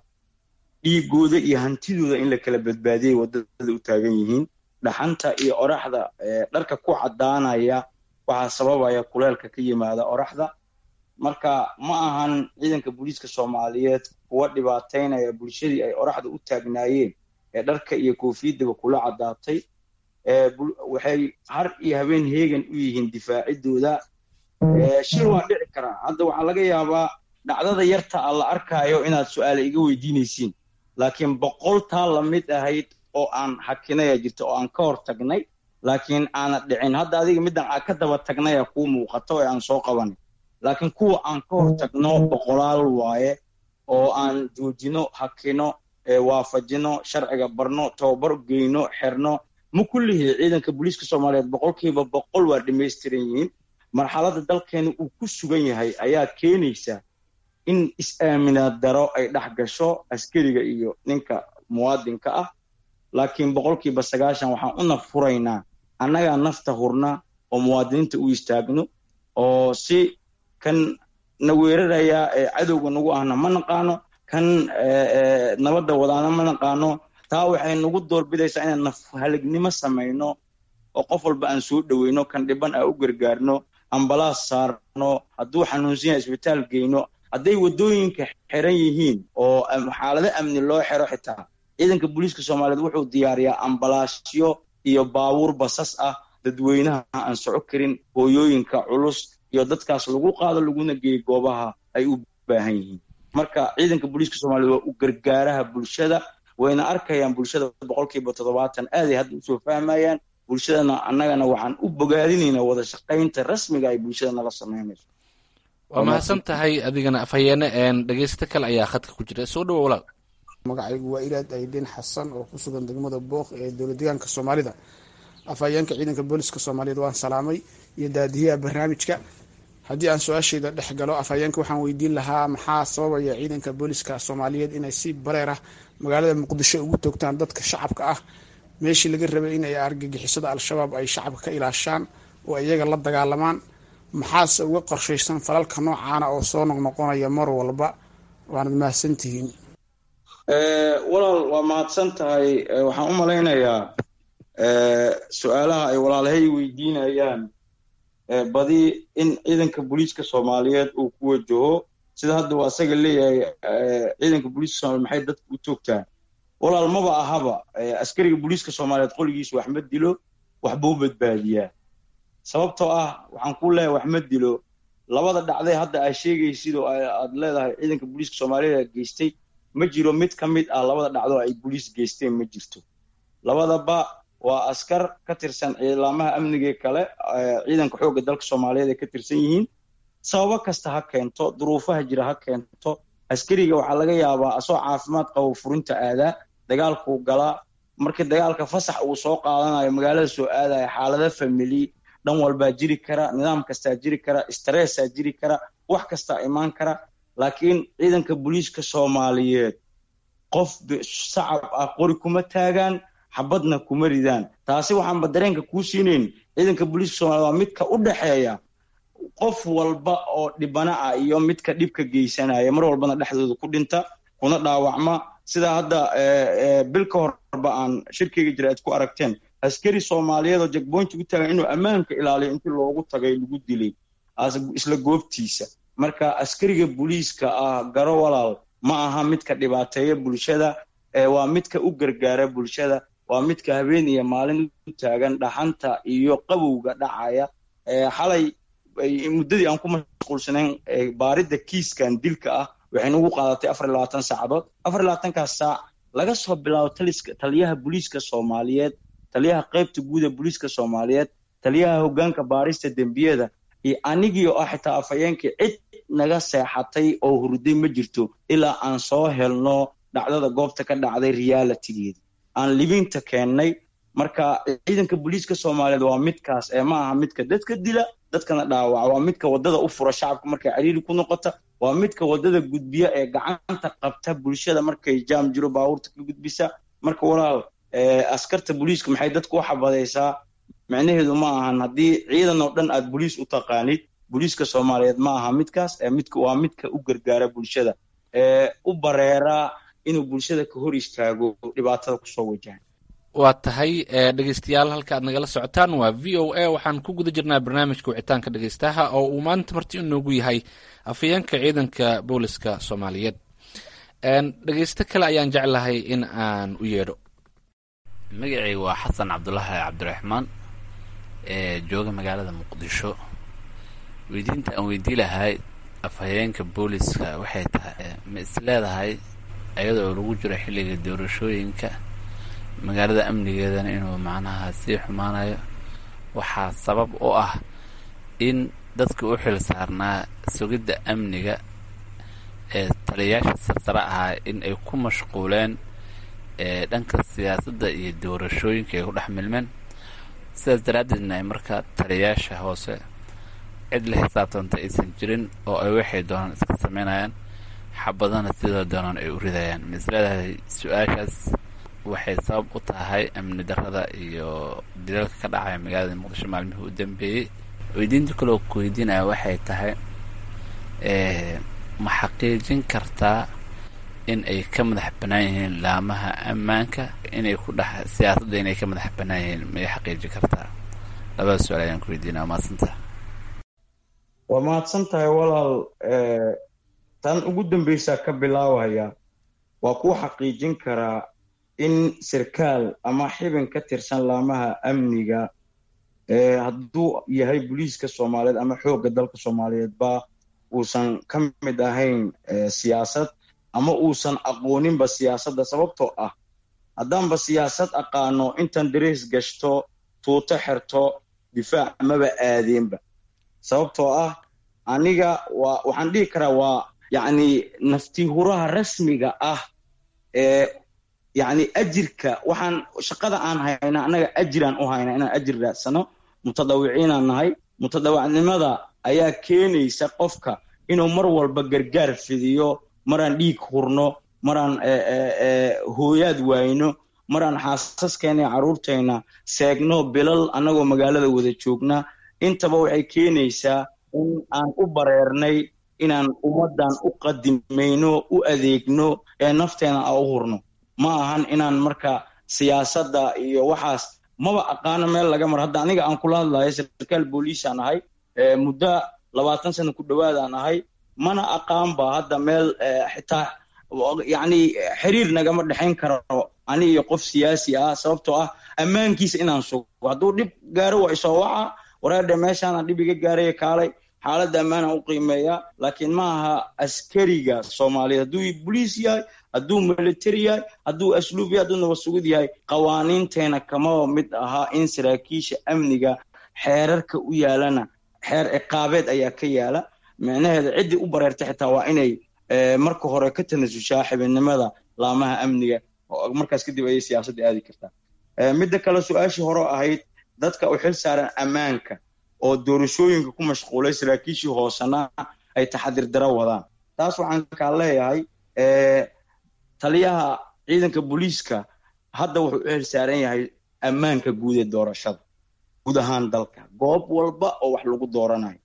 dhiigooda iyo hantidooda in la kala badbaadiyay waddada u taagan yihiin. Dhaxanta iyo oraxda dharka ku caddaanaya waxaa sababaya kuleelka ka yimaada oraxda. Marka ma ahan ciidanka booliiska Soomaaliyeed kuwa dhibaataynaya bulshadii ay oraxda u taagnaayeen ee dharka iyo koofiyadaba kula caddaatay. Waxay har iyo habeen heegan u yihiin difaacidooda. Shil waa dhici karaa. Hadda waxaa laga yaabaa dhacdada yarta a la arkaayo inaad su-aale iga weydiinaysiin, laakiin boqol taa lamid ahayd oo aan hakinaya jirta oo aan ka hor tagnay, laakiin aana dhicin. Hadda adiga middan aan ka daba tagnaya kuu muuqato ee aan soo qabanay, laakiin kuwa aan ka hor tagno boqolaal waaye oo aan joojino, hakino, waafajino, sharciga barno, tababar geyno, xirno. Ma kullihii ciidanka booliiska Soomaaliyeed boqolkiiba boqol waa dhammaystiran yihiin. Marxaladda dalkeena uu ku sugan yahay ayaa keenaysa in is-aaminaad daro ay dhex gasho askariga iyo ninka muwaadinka ah. Laakiin boqolkiiba sagaashan waxaan u naf furaynaa annagaa nafta hurna oo muwaadiniinta u istaagno, oo si kan na weerarayaa ee cadowga nagu ahna ma naqaano, kan nabadda wadaana ma naqaano. Taa waxay nagu doorbidaysaa inaan naf halignimo samayno oo qof walba aan soo dhoweyno, kan dhiban aan u gargaarno, ambalaas saarno, hadduu xanuunsan yahay isbitaal geyno. Hadday waddooyinka xiran yihiin oo xaalado amni loo xiro, xitaa ciidanka booliiska Soomaaliyeed wuxuu diyaariyaa ambalaasyo iyo baabuur basas ah dadweynaha aan soco karin, hooyooyinka culus iyo dadkaas lagu qaado laguna geeyo goobaha ay u baahan yihiin. Marka ciidanka booliiska Soomaaliyeed waa u gargaaraha bulshada, wayna arkayaan bulshada boqolkiiba toddobaatan aaday hadda usoo fahmayaan bulshadana. Annagana waxaan u bogaadinaynaa wada shaqaynta rasmiga ay bulshada nala samaynayso. Waa mahadsan tahay adigana afhayeene. Dhegeysta kale ayaa khadka ku jira, soo dhawo walaal. Magacaygu waa Ilaad Aydin Xasan oo ku sugan degmada Booq ee dowlad deegaanka Soomaalida. Afhayeenka ciidanka booliska Soomaaliyeed waan salaamay iyo daadiyaha barnaamijka. Haddii aan su-aashayda dhex galo, afhayeenka waxaan weydiin lahaa maxaa sababaya ciidanka booliska Soomaaliyeed inay si bareer ah magaalada Muqdisho ugu toogtaan dadka shacabka ah, meeshii laga rabay inay argagixisada Al-Shabaab ay shacabka ka ilaashaan oo iyaga la dagaalamaan? Maxaase uga qorshaysan falalka noocaana oo soo noqnoqonaya mar walba? Waanad mahadsantihiin. Walaal, waa mahadsan tahay. Waxaan u malaynayaa su-aalaha ay walaalahay weydiinayaan badi in ciidanka booliiska Soomaaliyeed uu ku wajaho. Sida hadda uu asaga leeyahay, ciidanka booliiska Soomaliyeed maxay dadka u toogtaan? Walaal, maba ahaba. Askariga booliiska Soomaaliyeed qoligiisa wax ma dilo, waxbuu badbaadiyaa. Sababtoo ah waxaan ku leeyahay wax ma dilo, labada dhacday hadda aad sheegaysid oo aad leedahay ciidanka booliiska Soomaaliyeed geystay, ma jiro mid ka mid ah labada dhacdo ay booliis geysteen, ma jirto. Labadaba waa askar ka tirsan ciidamaha amniga kale, ciidanka xoogga dalka Soomaaliyeed ay ka tirsan yihiin. Sababo kasta ha keento, duruufaha jira ha keento. Askariga waxaa laga yaabaa asoo caafimaad qabo furinta aadaa, dagaalkuu galaa, markii dagaalka fasax uu soo qaadanayo, magaalada soo aadaya, xaalado family dhan walbaa jiri kara, nidaam kastaa jiri kara, stressaa jiri kara, wax kastaa imaan kara. Laakiin ciidanka booliiska Soomaaliyeed qof shacab ah qori kuma taagaan, xabadna kuma ridaan. Taasi waxaanba dareenka kuu siinayn, ciidanka booliiska Soomaliyeed waa midka u dhexeeya qof walba oo dhibana ah iyo midka dhibka geysanaya, mar walbana dhexdooda ku dhinta kuna dhaawacma. Sidaa hadda bil ka horba aan shirkeyga jira aad ku aragteen, askari Soomaaliyeed oo checkpoint u taagan inuu ammaanka ilaaliyo intii loogu tagay lagu dilay isla goobtiisa. Marka askariga booliiska ah, garo walaal, ma aha midka dhibaateeya bulshada, waa midka u gargaara bulshada, waa midka habeen iyo maalin u taagan dhaxanta iyo qabowga dhacaya. Xalay muddadii aan ku mashquulsanayn baaridda kiiskan dilka ah waxay nagu qaadatay afar iyo labaatan saacadood. Afar iyo labaatankaas saac, laga soo bilaabo taliska, taliyaha booliiska Soomaaliyeed, taliyaha qaybta guud ee booliiska Soomaaliyeed, taliyaha hoggaanka baarista dembiyada iyo anigii oo ah xitaa afhayeenkii, cid naga seexatay oo hurday ma jirto ilaa aan soo helno dhacdada goobta ka dhacday realitygeeda, aan libinta keennay. Marka ciidanka booliiska Soomaaliyeed waa midkaas ee ma aha midka dadka dila, dadkana dhaawaca. Waa midka waddada u fura shacabka markay cariiri ku noqota, waa midka waddada gudbiya ee gacanta qabta bulshada markay jaam jiro, baabuurta ka gudbisa. Marka walaal, askarta booliiska maxay dadku u xabadaysaa micnaheedu ma ahan haddii ciidan oo dhan aad booliis u taqaanid. Booliiska Soomaaliyeed ma aha midkaas ee midka waa midka u gargaara bulshada ee u bareera inuu bulshada ka hor istaago dhibaatada kusoo wajahan. Waa tahay. Dhegeystayaal, halka aad nagala socotaan waa V O A. Waxaan ku guda jirnaa barnaamijka wicitaanka dhegeystaha oo uu maanta marti inoogu yahay afhayeenka ciidanka booliska Soomaaliyeed. Dhegeysto kale ayaan jeclahay in aan u yeedho. Magacayga waa Xasan Cabdulaahi Cabdiraxmaan ee jooga magaalada Muqdisho. Weydiinta aan weydii lahay afhayeenka booliska waxay tahay: ma is leedahay, iyadoo lagu jiro xilliga doorashooyinka, magaalada amnigeedana inuu macnaha sii xumaanayo, waxaa sabab u ah in dadka u xil saarnaa sugidda amniga ee taliyayaasha sarsare ahaa in ay ku mashquuleen ee dhanka siyaasadda iyo doorashooyinka ay ku dhex milmeen, sidaas daraaddeedna ay markaa taliyayaasha hoose cid la xisaabtanta aysan jirin oo ay waxay doonaan iska sameynayaan, xabadana sidoo doonaan ay u ridayaan? Ma is leedahay su-aashaas waxay sabab u tahay amni darrada iyo dilalka ka dhacaya magaalada Muqdisho maalmihii u dambeeyey? Weydiinta kaloo ku weydiinaya waxay tahay: ma xaqiijin kartaa in ay ka madax bannaan yihiin laamaha ammaanka, inay ku dhex siyaasadda inay ka madax bannaan yihiin, ma ay xaqiijin kartaa? Labada su-aal ayaan ku weydiinaya. Waa mahadsantaha. Waa mahadsan tahay walaal. Tan ugu dambeysaa ka bilaabaya, waa kuu xaqiijin karaa in sarkaal ama xibin ka tirsan laamaha amniga, hadduu yahay booliiska Soomaaliyeed ama xoogga dalka Soomaaliyeed ba, uusan ka mid ahayn siyaasad ama uusan aqooninba siyaasadda. Sababtoo ah haddaanba siyaasad aqaano, intaan darees gashto, tuuto xerto, difaac maba aadeenba. Sababtoo ah aniga waa waxaan dhihi karaa waa yacni nafti huraha rasmiga ah ee yacni ajirka waxaan shaqada aan hayna, annaga ajiraan u haynaa inaan ajir raadsano, mutadawiciinaan nahay. Mutadawacnimada ayaa keenaysa qofka inuu mar walba gargaar fidiyo. Maraan dhiig hurno, maraan hooyaad waayno, maraan xaasaskeena iyo carruurtayna seegno bilal annagoo magaalada wada joogna, intaba waxay keenaysaa in aan u bareernay Inaan ummaddan u qadimayno, u adeegno, ee nafteena a u hurno. Ma ahan inaan marka siyaasadda iyo waxaas maba aqaano meel laga maro. Hadda aniga aan kula hadlayo sarkaal booliisaan ahay, muddo labaatan sano ku dhowaadaan ahay, mana aqaanba hadda meel xitaa yacni xiriir nagama dhexayn karo ani iyo qof siyaasi ah, sababtoo ah ammaankiisa inaan sugo. Hadduu dhib gaaro waa isoo waca, wareerdhe meeshaanaan dhib iga gaaraya, kaalay. Xaaladda ammaanaan u qiimeeyaa, laakiin ma aha askariga Soomaaliyeed hadduu boliis yahay, hadduu military yahay, hadduu asluub yahay, hadduu nabad sugid yahay, qawaaniinteena kamaba mid ahaa in saraakiisha amniga xeerarka u yaalana xeer ciqaabeed ayaa ka yaala. Micnaheeda ciddii u bareerta xitaa waa inay marka hore ka tanasushaa xibinimada laamaha amniga, markaas kadib ayay siyaasadda aadi kartaa. Midda kale, su-aashii hore ahayd dadka u xil saaran ammaanka oo doorashooyinka ku mashquulay, saraakiishii hoosena ay taxadir daro wadaan, taas waxaan kaa leeyahay taliyaha ciidanka booliiska hadda wuxuu u xil saaran yahay ammaanka guud ee doorashada guud ahaan dalka, goob walba oo wax lagu dooranayo.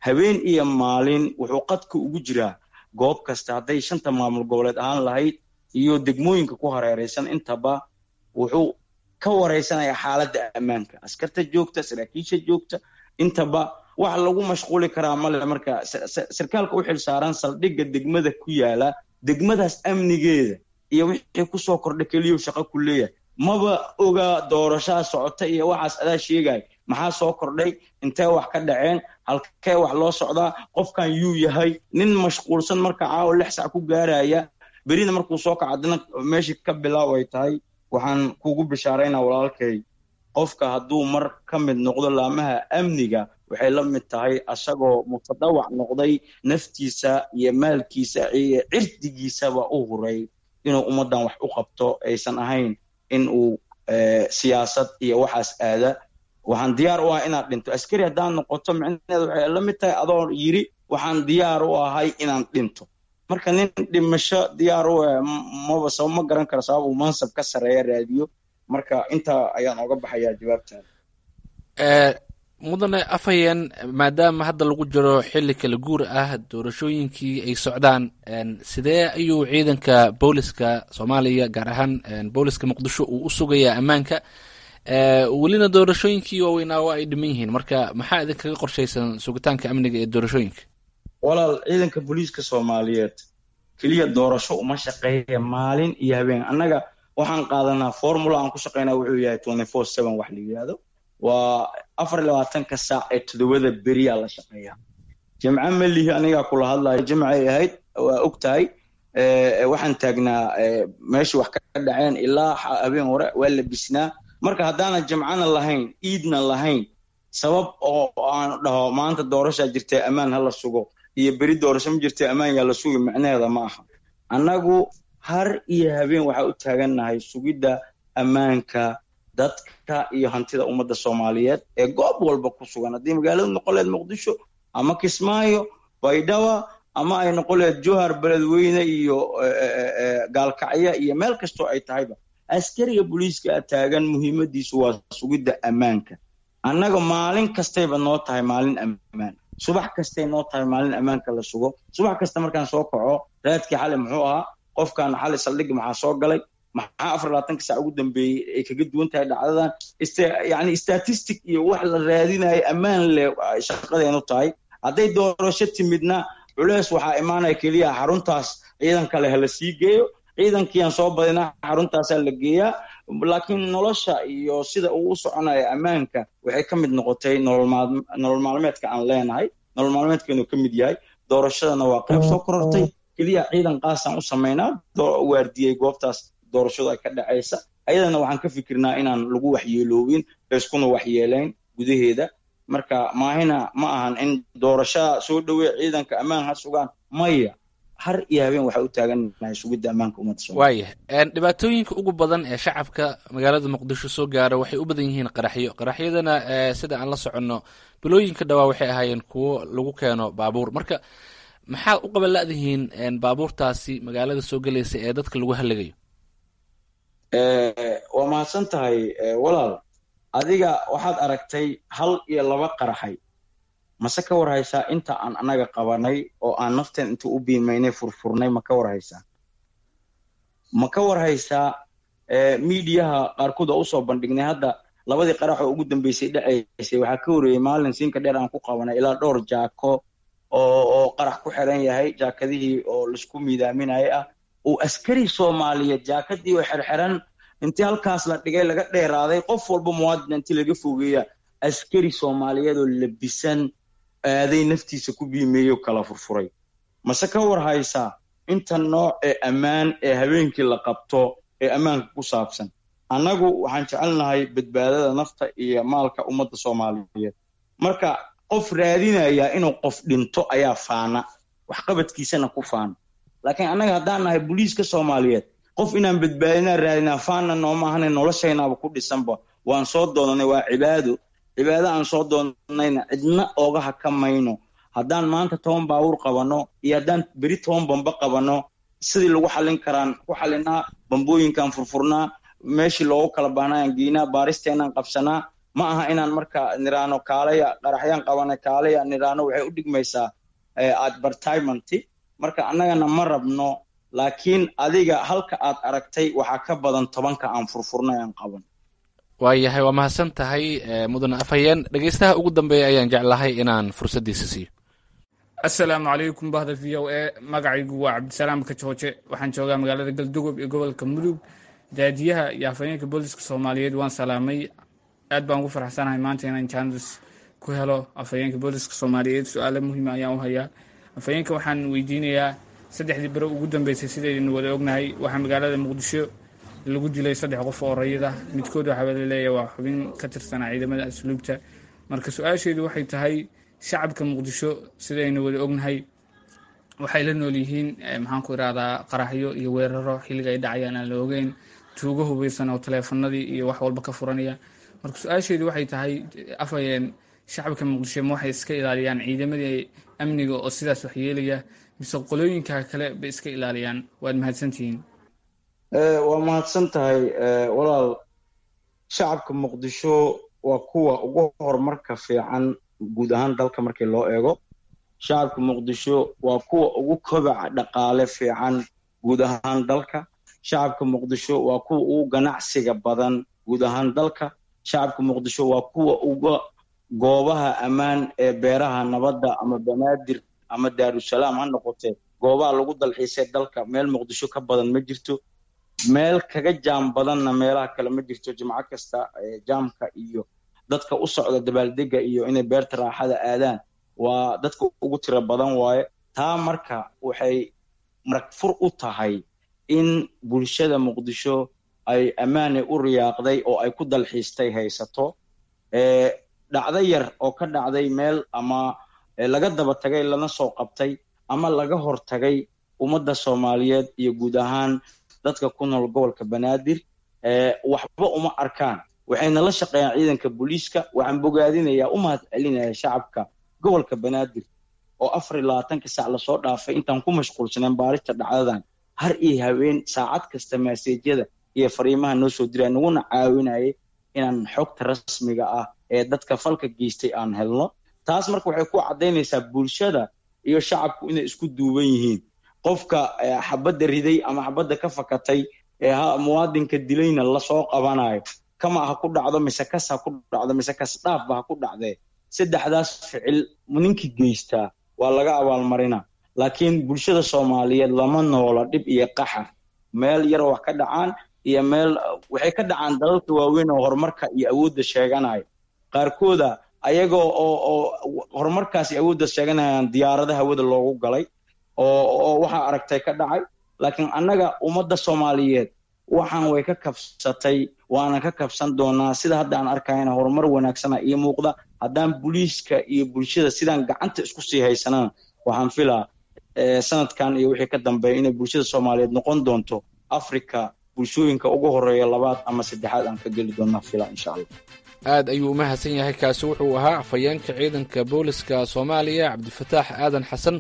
Habeen iyo maalin wuxuu qadka ugu jiraa goob kasta, hadday shanta maamul goboleed ahaan lahayd iyo degmooyinka ku hareeraysan intaba. Wuxuu ka wareysanaya xaaladda ammaanka, askarta joogta, saraakiisha joogta, intaba. Wax lagu mashquuli karaa male. Marka sarkaalka u xil saaran saldhigga degmada ku yaala, degmadaas amnigeeda iyo wixii kusoo kordha keliyu shaqo ku leeyahay. Maba oga doorashaa socota iyo waxaas adaa sheegaya. Maxaa soo kordhay? Intee wax ka dhaceen? Halkee wax loo socdaa? Qofkan yuu yahay? Nin mashquulsan marka caawa lix sac ku gaaraya, berina markuu soo kaco haddana meeshii ka bilaaw ay tahay. Waxaan kugu bishaaraynaa walaalkay, qofka hadduu mar ka mid noqdo laamaha amniga, waxay la mid tahay asagoo mutadawac noqday, naftiisa iyo maalkiisa iyo cirdigiisaba u huray inuu ummaddan wax u qabto, aysan ahayn in uu siyaasad iyo waxaas aada. Waxaan diyaar u ahay inaad dhinto. Askari haddaan noqoto, micnaheedu waxay la mid tahay adoo yiri waxaan diyaar u ahay inaan dhinto. Marka nin dhimasho diyaar u ah maba sabab, ma garan karo sabab uu mansab ka sarreeya raadiyo. Marka intaa ayaan oga baxayaa jawaabtaada. Mudane afhayeen, maadaama hadda lagu jiro xilli kala guur ah, doorashooyinkii ay socdaan, sidee ayuu ciidanka booliska Soomaaliya, gaar ahaan booliska Muqdisho, uu u sugayaa ammaanka? Welina doorashooyinkii waaweynaa waa ay dhiman yihiin, marka maxaa idinkaga qorshaysan sugitaanka amniga ee doorashooyinka? Walaal, ciidanka booliiska Soomaaliyeed keliya doorasho uma shaqeeya, maalin iyo habeen. Annaga waxaan qaadanaa formula aan ku shaqeynaa wuxuu yahay twenty four seven, wax la yidhaahdo waa afar iyo labaatanka saac ee toddobada beriyaa la shaqeeyaa. Jimce ma lihi, anigaa kula hadlayo jimcay ahayd, waa og tahay. Waxaan taagnaa meeshii wax ka dhaceen ilaa habeen hore, waa labisnaa. Marka haddaanan jimcana lahayn, iidna lahayn, sabab oo aan dhaho maanta doorashaa jirtay ammaan ha la sugo iyo beri doorasho ma jirtay ammaan yaa la sugi, micnaheeda ma aha. Annagu har iyo habeen waxaa u taagannahay sugidda ammaanka dadka iyo hantida ummadda Soomaaliyeed ee goob walba ku sugan, haddii magaalada noqon leed Muqdisho ama Kismaayo, Baydhaba, ama ay noqon leed Jowhar, Beledweyne iyo Gaalkacyo iyo meel kastoo ay tahayba. Askariga booliiska taagan muhiimadiisu waa sugidda ammaanka. Annaga maalin kastayba noo tahay maalin ammaan, subax kastay noo tahay maalin ammaanka la sugo. Subax kasta markaan soo kaco, raadkii xali muxuu ahaa? Qofkan xali saldhig maxaa soo galay? Maxaa afar labaatanka saac ugu dambeeyey ay kaga duwan tahay dhacdadan? Yani statistic iyo wax la raadinayo ammaan leh shaqadeenu tahay. Hadday doorasho timidna, culees waxaa imaanaya keliya xaruntaas ciidan kale hala sii geeyo, ciidankiiaan soo badinaa, xaruntaasaa la geeyaa. Laakiin nolosha iyo sida uu u soconayo ammaanka waxay ka mid noqotay nolol maalmeedka aan leenahay, nolol maalmeedkeenu ka mid yahay. Doorashadana waa qayb soo korortay. Keliya ciidan qaasaan u samaynaa waardiyey goobtaas doorashadu ay ka dhacaysa. Ayadana waxaan ka fikirnaa inaan lagu waxyeeloobin, layskuna waxyeelayn gudaheeda. Marka maahina ma ahan in doorashada soo dhowey ciidanka ammaan ha sugaan, maya. Har iyo habeen waxaa u taagannahay sugidda ammaanka ummadda Soomaaliya. Waayah, dhibaatooyinka ugu badan ee shacabka magaalada Muqdisho soo gaara waxay u badan yihiin qaraxyo. Qaraxyadana sida aan la soconno bilooyinka dhawaa waxay ahaayeen kuwo lagu keeno baabuur. Marka maxaad u qaban la'dihiin baabuurtaasi magaalada soo gelaysa ee dadka lagu halagayo? Waa mahadsan tahay walaal. Adiga waxaad aragtay hal iyo laba qaraxay. Mase ka warhaysaa inta aan annaga qabanay oo aan nafteen inta u biimaynay furfurnay? Ma ka warhaysaa? Ma ka warhaysaa miidiyaha qaarkood oo usoo bandhignay hadda labadii qarax oo ugu dambeysay dhacaysay? Waxaa ka horeeyey maalin siinka dheer aan ku qabanay ilaa dhowr jaako oo oo qarax ku xiran yahay, jaakadihii oo laisku miidaaminayay ah, uu askari Soomaaliyeed jaakadii oo xirxiran intii halkaas la dhigay laga dheeraaday, qof walba muwaadin intii laga fogeeya, askari Soomaaliyeed oo labisan aaday naftiisa ku biimeeyo kala furfuray. Mase ka war haysaa inta nooc ee ammaan ee habeenkii la qabto ee ammaanka ku saabsan? Annagu waxaan jecelnahay badbaadada nafta iyo maalka ummadda Soomaaliyeed. Marka qof raadinaya inuu qof dhinto ayaa faana, waxqabadkiisana ku faana. Laakiin annaga haddaan nahay booliiska Soomaaliyeed, qof inaan badbaadinaa raadinaa faana nooma ahane, noloshaynaaba ku dhisanba. Waan soo doonanay, waa cibaado. Cibaado aan soo doonanayna cidna ooga hakamayno. Haddaan maanta toban baabuur qabano iyo haddaan beri toban bamba qabano, sidii lagu xallin karaan ku xallinaa, bambooyinkaan furfurnaa, meeshii loogu kala baahnayaan geynaa, baaristeenaan qabsanaa. Ma aha inaan marka niraano kaalaya qaraxyaan qabana, kaalaya niraano, waxay u dhigmaysaa advertisement. Marka annagana ma rabno, laakiin adiga halka aad aragtay waxaa ka badan tobanka aan furfurnay aan qaban. Waayahay, waa mahadsan tahay mudane afhayeen. Dhegeystaha ugu dambeeya ayaan jeclahay inaan fursaddiisa siiyo. Assalaamu calaykum bahda V O A. Magacaygu waa Cabdisalaam Kajooje, waxaan joogaa magaalada Galdogob ee gobolka Mudug. Daadiyaha iyo afhayeenka booliska Soomaaliyeed waan salaamay. Aad baan ugu faraxsanahay maanta inaan jaanis ku helo afhayeenka booliska Soomaaliyeed. Su-aalo muhiima ayaan u hayaa afhayeenka. Waxaan weydiinayaa, saddexdii bero ugu dambeysay, sidaynu wada ognahay, waxaa magaalada Muqdisho lagu dilay saddex qof oo rayid ah. Midkood waxaa laleeyahay waa xubin ka tirsanaa ciidamada asluubta. Marka su-aasheedu waxay tahay, shacabka Muqdisho sidaynu wada ognahay waxay la nool yihiin, maxaan ku irahdaa, qaraxyo iyo weeraro xilliga ay dhacayaan aan la ogeyn, tuugo hubeysan oo taleefanadii iyo wax walba ka furanaya. Marka su-aasheedu waxay tahay, afhayeen, shacabka Muqdisho ma waxay iska ilaaliyaan ciidamadii amniga oo sidaas wax yeelaya, mise qolooyinka kale bay iska ilaaliyaan? Waad mahadsantihiin. Waa mahadsan tahay walaal. Shacabka Muqdisho waa kuwa ugu horumarka fiican guud ahaan dalka markii loo eego. Shacabka Muqdisho waa kuwa ugu kobaca dhaqaale fiican guud ahaan dalka. Shacabka Muqdisho waa kuwa ugu ganacsiga badan guud ahaan dalka. Shacabka Muqdisho waa kuwa uga goobaha ammaan ee beeraha nabadda ama Banaadir ama Daarusalaam ha noqotee, goobaha lagu dalxiisay dalka meel Muqdisho ka badan ma jirto, meel kaga jaam badanna meelaha kale ma jirto. Jimco kasta jaamka iyo dadka u socda dabaaldega iyo inay beerta raaxada aadaan waa dadka ugu tiro badan waaye. Taa marka waxay maragfur u tahay in bulshada Muqdisho ay ammaane u riyaaqday oo ay ku dalxiistay haysato. Dhacdo yar oo ka dhacday meel ama laga daba tagay lana soo qabtay ama laga hortagay ummadda Soomaaliyeed iyo guud ahaan dadka ku nool gobolka Banaadir waxba uma arkaan, waxayna la shaqeeyaan ciidanka booliiska. Waxaan bogaadinayaa, u mahad celinayaa shacabka gobolka Banaadir oo afar iyo labaatanka saac lasoo dhaafay intaan ku mashquulsaneen baarista dhacdadan, har iyo habeen saacad kasta maaseejyada iyo fariimaha noo soo diraya, naguna caawinayay inaan xogta rasmiga ah ee dadka falka geystay aan helno. Taas marka waxay ku caddaynaysaa bulshada iyo shacabku inay isku duuban yihiin. Qofka xabadda riday ama xabadda ka fakatay ee muwaadinka dilayna lasoo qabanayo, kama ha ku dhacdo mise kas ha ku dhacdo mise kas dhaafba ha ku dhacdee, saddexdaas ficil ninkii geystaa waa laga abaalmarinaa. Laakiin bulshada Soomaaliyeed lama noola dhib iyo qaxar. Meel yar wax ka dhacaan iyo meel waxay ka dhacaan dalalka waaweyn oo horumarka iyo awoodda sheeganaya, qaarkooda ayagoo oo oo horumarkaas iyo awoodda sheeganayaan diyaaradaha hawada loogu galay oo oo waxaa aragtay ka dhacay. Laakiin annaga ummadda Soomaaliyeed waxaan way ka kabsatay, waana ka kabsan doonaa. Sida hadda aan arkayna horumar wanaagsana iyo muuqda. Haddaan booliiska iyo bulshada sidaan gacanta isku sii haysanana, waxaan filaa sanadkan iyo wixii ka dambeeya inay bulshada Soomaaliyeed noqon doonto Afrika bulshooyinka ugu horeeya labaad ama saddexaad aan ka geli doonaa filaa, insha Allah. Aad ayuu u mahadsan yahay. Kaasi wuxuu ahaa afhayeenka ciidanka booliska Soomaaliya, Cabdifataax Aadan Xasan,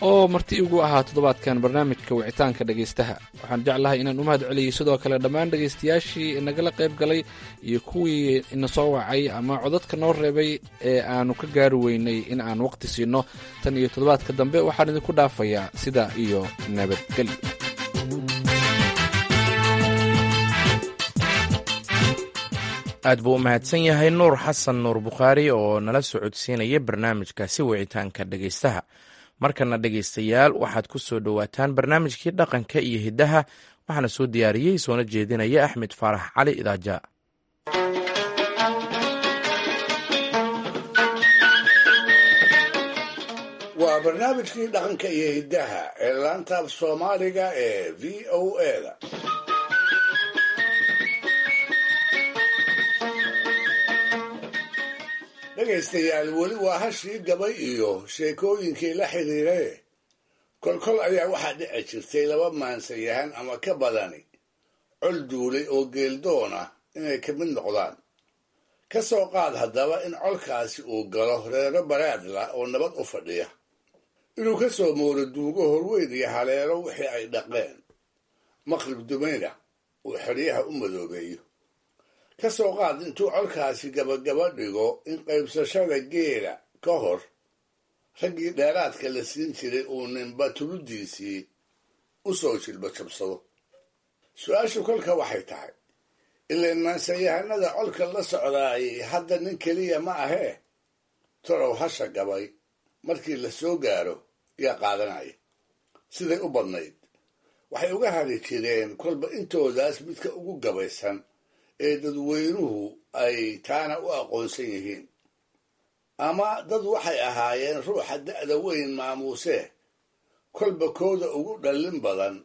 oo marti igu ahaa toddobaadkan barnaamijka wicitaanka dhegaystaha. Waxaan jeclahay inaan u mahad celiyey sidoo kale dhammaan dhegaystayaashii inagala qayb galay iyo kuwii ina soo wacay ama codadka noo reebay ee aanu ka gaari weynay in aan waqti siino. Tan iyo toddobaadka dambe waxaan idinku dhaafayaa sidaa iyo nabadgelyo. Aad buu u mahadsan yahay Nuur Xasan Nuur Bukhaari oo nala socodsiinaya barnaamijkaasi wicitaanka dhegaystaha. Markana dhegaystayaal, waxaad ku soo dhowaataan barnaamijkii dhaqanka iyo hiddaha. Waxaana soo diyaariyey soona jeedinaya Axmed Faarax Cali Idaaja. Waa barnaamijkii dhaqanka iyo hiddaha ee laanta af Soomaaliga ee V O A da. Dhegaystayaal, weli waa hashii gabay iyo sheekooyinkii la xidhiiraye. Kolkol ayaa waxaa dhici jirtay laba maansayahan ama ka badani col duulay oo geeldoon ah inay ka mid noqdaan. Ka soo qaad haddaba in colkaasi uu galo reero baraadla oo nabad u fadhiya, inuu ka soo mooro duugo horweyn iyo haleelo wixii ay dhaqeen, maqrib dumayna uu xeryaha u madoobeeyo. Ka soo qaad intuu colkaasi gabagaba dhigo in qaybsashada geela ka hor raggii dheeraadka la siin jiray uu ninba tuludiisii u soo jilba jabsado. Su-aashu kolka waxay tahay, ileen maansayahanada colka la socdaayay hadda nin keliya ma ahee, torow hasha gabay markii la soo gaaro yaa qaadanaya? Siday u badnayd waxay uga hari jireen kolba intoodaas midka ugu gabaysan ee dadweynuhu ay taana u aqoonsan yihiin. Ama dad waxay ahaayeen ruuxa da'da weyn maamuusee, kolba kooda ugu dhallin badan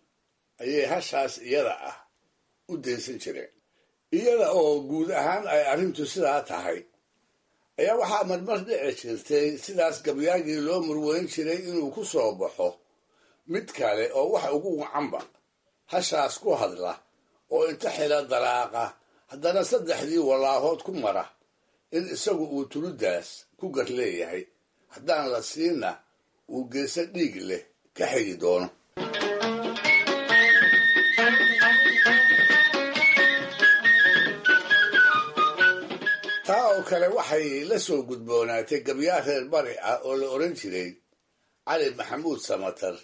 ayay hashaas iyada ah u daysan jireen. Iyada oo guud ahaan ay arrintu sidaa tahay ayaa waxaa marmar dhici jirtay sidaas gabyaagii loo murweyn jiray inuu ku soo baxo mid kale oo wax ugu wacanba hashaas ku hadla, oo inta xila dalaaqa haddana saddexdii walaahood ku mara in isagu uu tuludaas ku gar leeyahay, haddaan la siinna uu geeso dhiig leh ka xigi doono. Taa oo kale waxay la soo gudboonaatay gabyaa reer bari ah oo la odhan jiray Cali Maxamuud Samatar,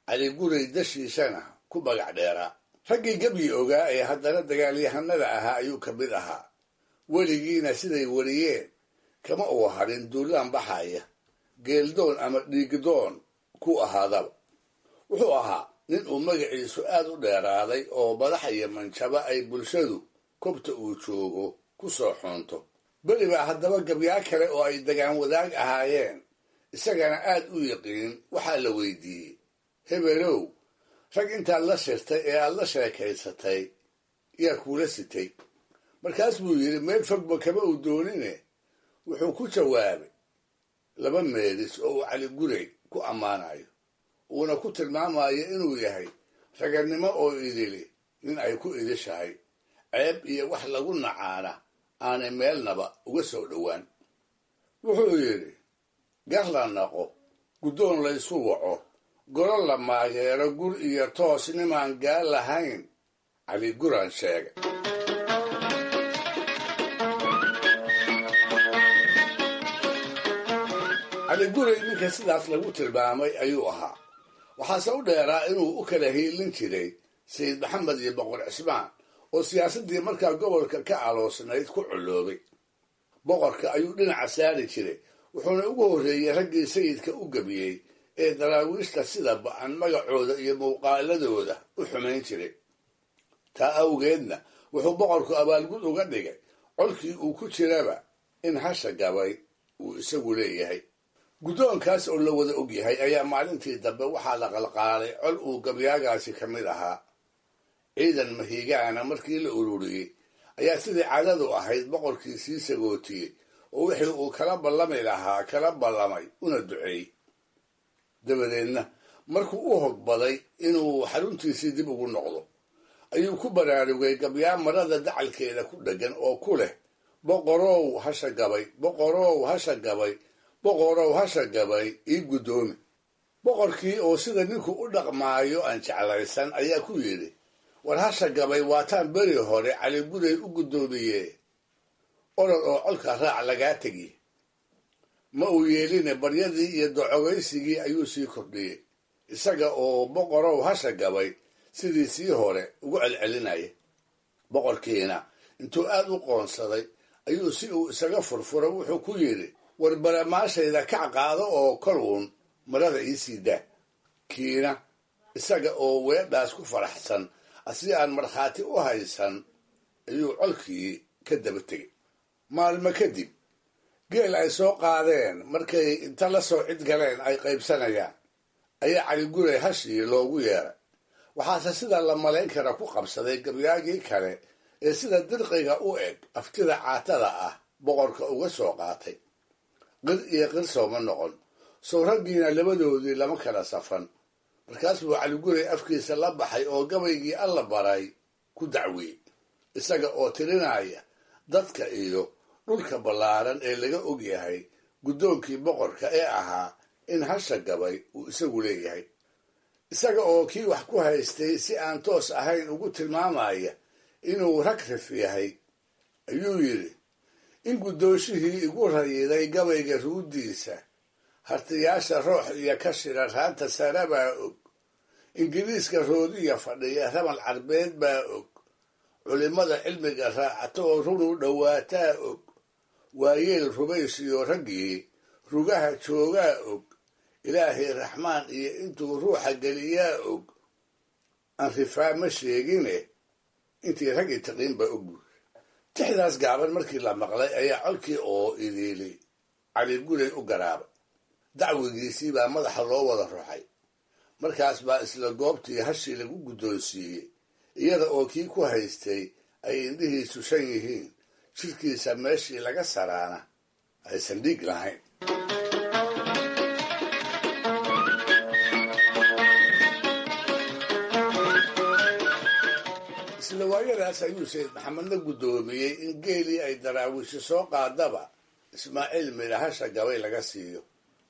Cali Guray dashiisana ku magac dheeraa. Raggii gebyi ogaa ee haddana dagaalyahanada ahaa ayuu ka mid ahaa. Weligiina siday weriyeen kama uu harin duulaan baxaya, geeldoon ama dhiigdoon ku ahaadaba. Wuxuu ahaa nin uu magaciisu aad u dheeraaday oo madax iyo manjaba ay bulshadu kobta uu joogo ku soo xoonto. Beri baa haddaba gabyaa kale oo ay dagaan wadaag ahaayeen isagana aad u yiqiin waxaa la weydiiyey, hebelow, rag intaad la shirtay ee aad la sheekaysatay yaa kuula sitay? Markaas buu yidhi, meel fogba kama uu doonine wuxuu ku jawaabay laba meelis oo uu Cali Guray ku ammaanayo, uuna ku tilmaamayo inuu yahay ragannimo oo idili nin ay ku idishahay, ceeb iyo wax lagu nacaana aanay meelnaba uga soo dhowaan. Wuxuu yidhi, gar la naqo, guddoon laysu waco, golo la maageero, gur iyo toos nimaan gaal lahayn, Cali Guraan sheegay. Cali Guray ninka sidaas lagu tilmaamay ayuu ahaa. Waxaase u dheeraa inuu u kala hiilin jiray Sayid Maxamed iyo Boqor Cismaan oo siyaasaddii markaa gobolka ka aloosnayd ku colloobay. Boqorka ayuu dhinaca saari jiray, wuxuuna ugu horreeyey raggii sayidka u gebiyey ee daraawiishta sida ba'an magacooda iyo muuqaaladooda u xumayn jiray. Taa awgeedna wuxuu boqorku abaalgud uga dhigay colkii uu ku jiraba in hasha gabay uu isagu leeyahay. Guddoonkaas oo la wada og yahay ayaa maalintii dambe waxaa la qalqaalay col uu gabyaagaasi ka mid ahaa. Ciidan mahiigaana markii la ururiyey ayaa sidii caadadu ahayd boqorkii sii sagootiyey oo wixii uu kala ballami lahaa kala ballamay una duceeyey. Dabadeedna markuu u hogbaday inuu xaruntiisii dib ugu noqdo ayuu ku baraarugay gabyaa marada dacalkeeda ku dheggan oo ku leh, boqorow hasha gabay, boqorow hasha gabay, boqorow hasha gabay ii guddoomi. Boqorkii oo sida ninku u dhaqmaayo aan jeclaysan ayaa ku yidhi, war hasha gabay waataan beri hore Caliguray u guddoomiye, orod oo colka raac lagaa tegi. Ma uu yeeline baryadii iyo docogaysigii ayuu sii kordhiyey, isaga oo boqorow hasha gabay sidii sii hore ugu celcelinaya. Boqorkiina intuu aad u qoonsaday ayuu si uu isaga furfuro wuxuu ku yidhi, war baramaashayda kac qaado oo kol uun marada ii sii daa. Kiina isaga oo weedhaas ku faraxsan asi aan markhaati u haysan ayuu colkii ka daba tegey. Maalmo kadib geel ay soo qaadeen markay inta la soo cid galeen ay qaybsanayaan ayaa Caliguray hashii loogu yeeray. Waxaase sida la malayn kara ku qabsaday gabyaagii kale ee sida dirqiga u eg aftida caatada ah boqorka uga soo qaatay. Qir iyo qir sooma noqon, sow raggiina labadoodii lama kala safan. Markaas buu Caliguray afkiisa la baxay oo gabaygii alla baray ku dacwiyey, isaga oo tirinaya dadka iyo dhulka ballaaran ee laga og yahay guddoonkii boqorka ee ahaa in hasha gabay uu isagu leeyahay. Isaga oo kii wax ku haystay si aan toos ahayn ugu tilmaamaya inuu ragrif yahay ayuu yidhi, in guddoonshihii igu rayiday gabayga ruuddiisa, hartiyaasha roox iyo ka shira raanta sare baa og, ingiriiska roodiya fadhiya ramal carbeed baa og, culimmada cilmiga raacata oo runu dhowaataa og, waayeel rubaysiyo raggii rugaha joogaa og, ilaahay raxmaan iyo intuu ruuxa geliyaa og, aan rifaa ma sheegine intii raggii taqiin baa og. Tixdaas gaaban markii la maqlay ayaa colkii oo idiili Caliguray u garaabay. Dacwigiisii baa madaxa loo wada ruxay. Markaas baa isla goobtii hashii lagu guddoonsiiyey, iyada oo kii ku haystay ay indhihiisu shan yihiin, jidhkiisa meeshii laga saraana aysan dhiig lahayn. Isla waayadaas ayuu Sayid Maxamedna guddoomiyey in geelii ay daraawiishu soo qaadaba Ismaaciil midhahasha gabay laga siiyo.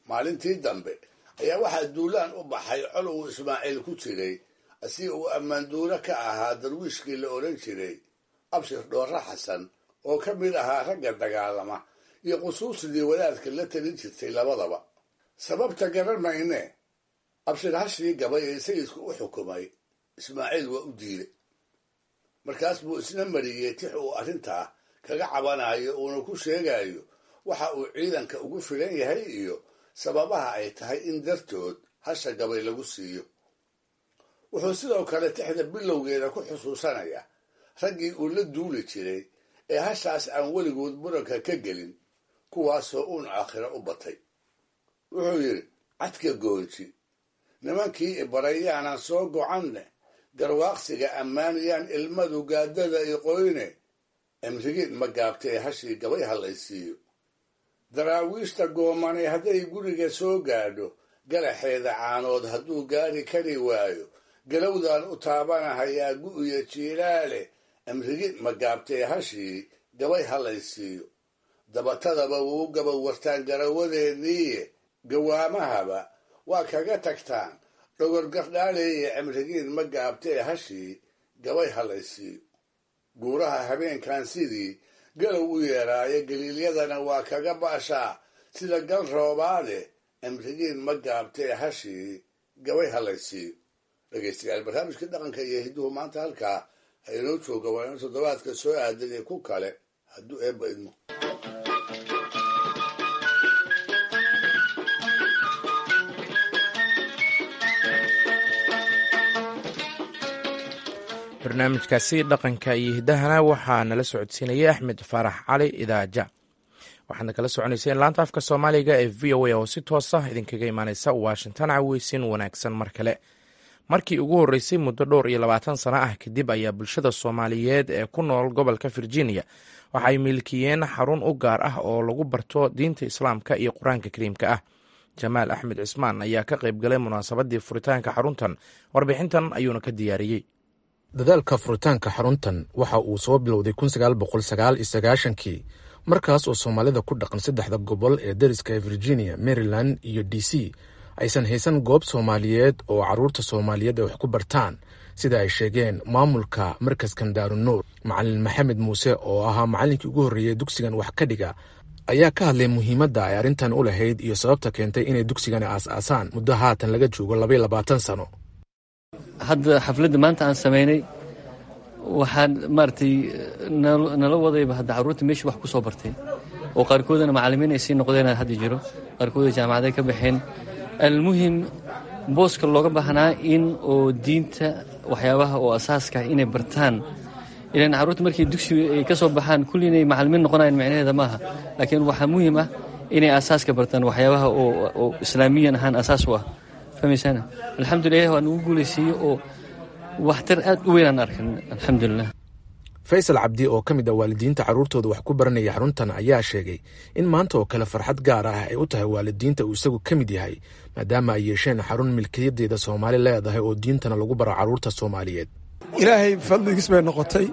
Maalintii dambe ayaa waxaa duulaan u baxay col uu Ismaaciil ku jiray, si uu ammaanduuro ka ahaa darwiishkii la odhan jiray Abshir Dhoorre Xasan oo ka mid ahaa ragga dagaalama iyo qusuusidii wadaadka la talin jirtay labadaba. Sababta garan mayne, Abshir hashii gabay ee sayidku u xukumay Ismaaciil waa u diiday. Markaas buu isna mariyey tix uu arrintaa kaga cabanayo uuna ku sheegayo waxa uu ciidanka ugu filan yahay iyo sababaha ay tahay in dartood hasha gabay lagu siiyo. Wuxuu sidoo kale tixda bilowgeeda ku xusuusanaya raggii uu la duuli jiray ee hashaas aan weligood muranka ka gelin, kuwaasoo uun aakhiro u batay. Wuxuu yidhi, cadka goonji nimankii ibarayaanan soo gocanne, garwaaqsiga ammaanayaan ilmadu gaadada iqoyne, emrigiin ma gaabtee hashii gabay hallaysiiyo. Daraawiishta goomanay hadday guriga soo gaadho, galaxeeda caanood hadduu gaari kari waayo, galowdaan u taabanahayaa gu'ya jiilaale, emrigiin ma gaabtee hashii gabay hallaysiiyo. Dabatadaba wuu gabawartaan garawadeenniiye, gawaamahaba waa kaga tagtaan dhogor gardhaaleeye, cimrigiin ma gaabtee hashii gabay hallaysiiyo. Guuraha habeenkan sidii galow u yeeraayo, galiilyadana waa kaga baashaa sida gal roobaade, cimrigiin ma gaabtee hashii gabay hallaysiiyo. Dhegeystayaal, barnaamijka dhaqanka iyo hidduhu maanta halkaa ha inoo jooga, waa inuu toddobaadka soo aadan iyo ku kale hadduu eebba idmo. Barnaamijkaasi dhaqanka iyo hiddahana waxaa nala socodsiinaya Axmed Faarax Cali Idaaja. Waxaadna kala soconayseen laanta afka Soomaaliga ee V O A oo si toos ah idinkaga imaaneysa Washington. Caweysin wanaagsan mar kale. Markii ugu horreysay muddo dhowr iyo labaatan sano ah kadib ayaa bulshada Soomaaliyeed ee ku nool gobolka Virginia waxay milkiyeen xarun u gaar ah oo lagu barto diinta Islaamka iyo Qur-aanka Kariimka ah. Jamaal Axmed Cismaan ayaa ka qayb galay munaasabaddii furitaanka xaruntan, warbixintan ayuuna ka diyaariyey. Dadaalka furitaanka xaruntan waxa uu soo bilowday kun sagaal boqol sagaal iyo sagaashankii, markaas oo soomaalida ku dhaqan saddexda gobol ee dariska ee Virginia, Maryland iyo D C aysan haysan goob soomaaliyeed oo carruurta soomaaliyeed ay wax ku bartaan, sida ay sheegeen maamulka markaskan Daarunuur. Macalin Maxamed Muuse oo ahaa macallinkii ugu horreeyey dugsigan wax ka dhiga ayaa ka hadlay muhiimadda ay arrintan u lahayd iyo sababta keentay inay dugsigani aas-aasaan muddo haatan laga joogo labaiyo labaatan sano. Hadda xafladda maanta aan samaynay waxaan maaragtay nala wadayba hadda carruurta meesha wax ku soo bartay oo qaarkoodana macallimiin ay sii noqdeen hadda jiro, qaarkooda jaamacaday ka baxeen. Almuhim, booska looga baahnaa in oo diinta waxyaabaha oo asaaska ah inay bartaan, ilan carruurta markay dugsiga ay ka soo baxaan kulli inay macallimiin noqonayaan micnaheeda maaha, laakiin waxaa muhiim ah inay asaaska bartaan waxyaabaha oo oo islaamiyan ahaan asaas u ah. Fahmaysaana? Alxamdulilah, waa nagu guulaysiiyey oo waxtar aad u weyn aan arkan, alxamdulilah. Faysal Cabdi oo ka mid ah waalidiinta carruurtooda wax ku baranaya xaruntan ayaa sheegay in maanta oo kale farxad gaar ah ay u tahay waalidiinta uu isagu ka mid yahay, maadaama ay yeesheen xarun milkiyadeeda Soomaali leedahay oo diintana lagu baro carruurta Soomaaliyeed. Ilaahay fadligiis bay noqotay.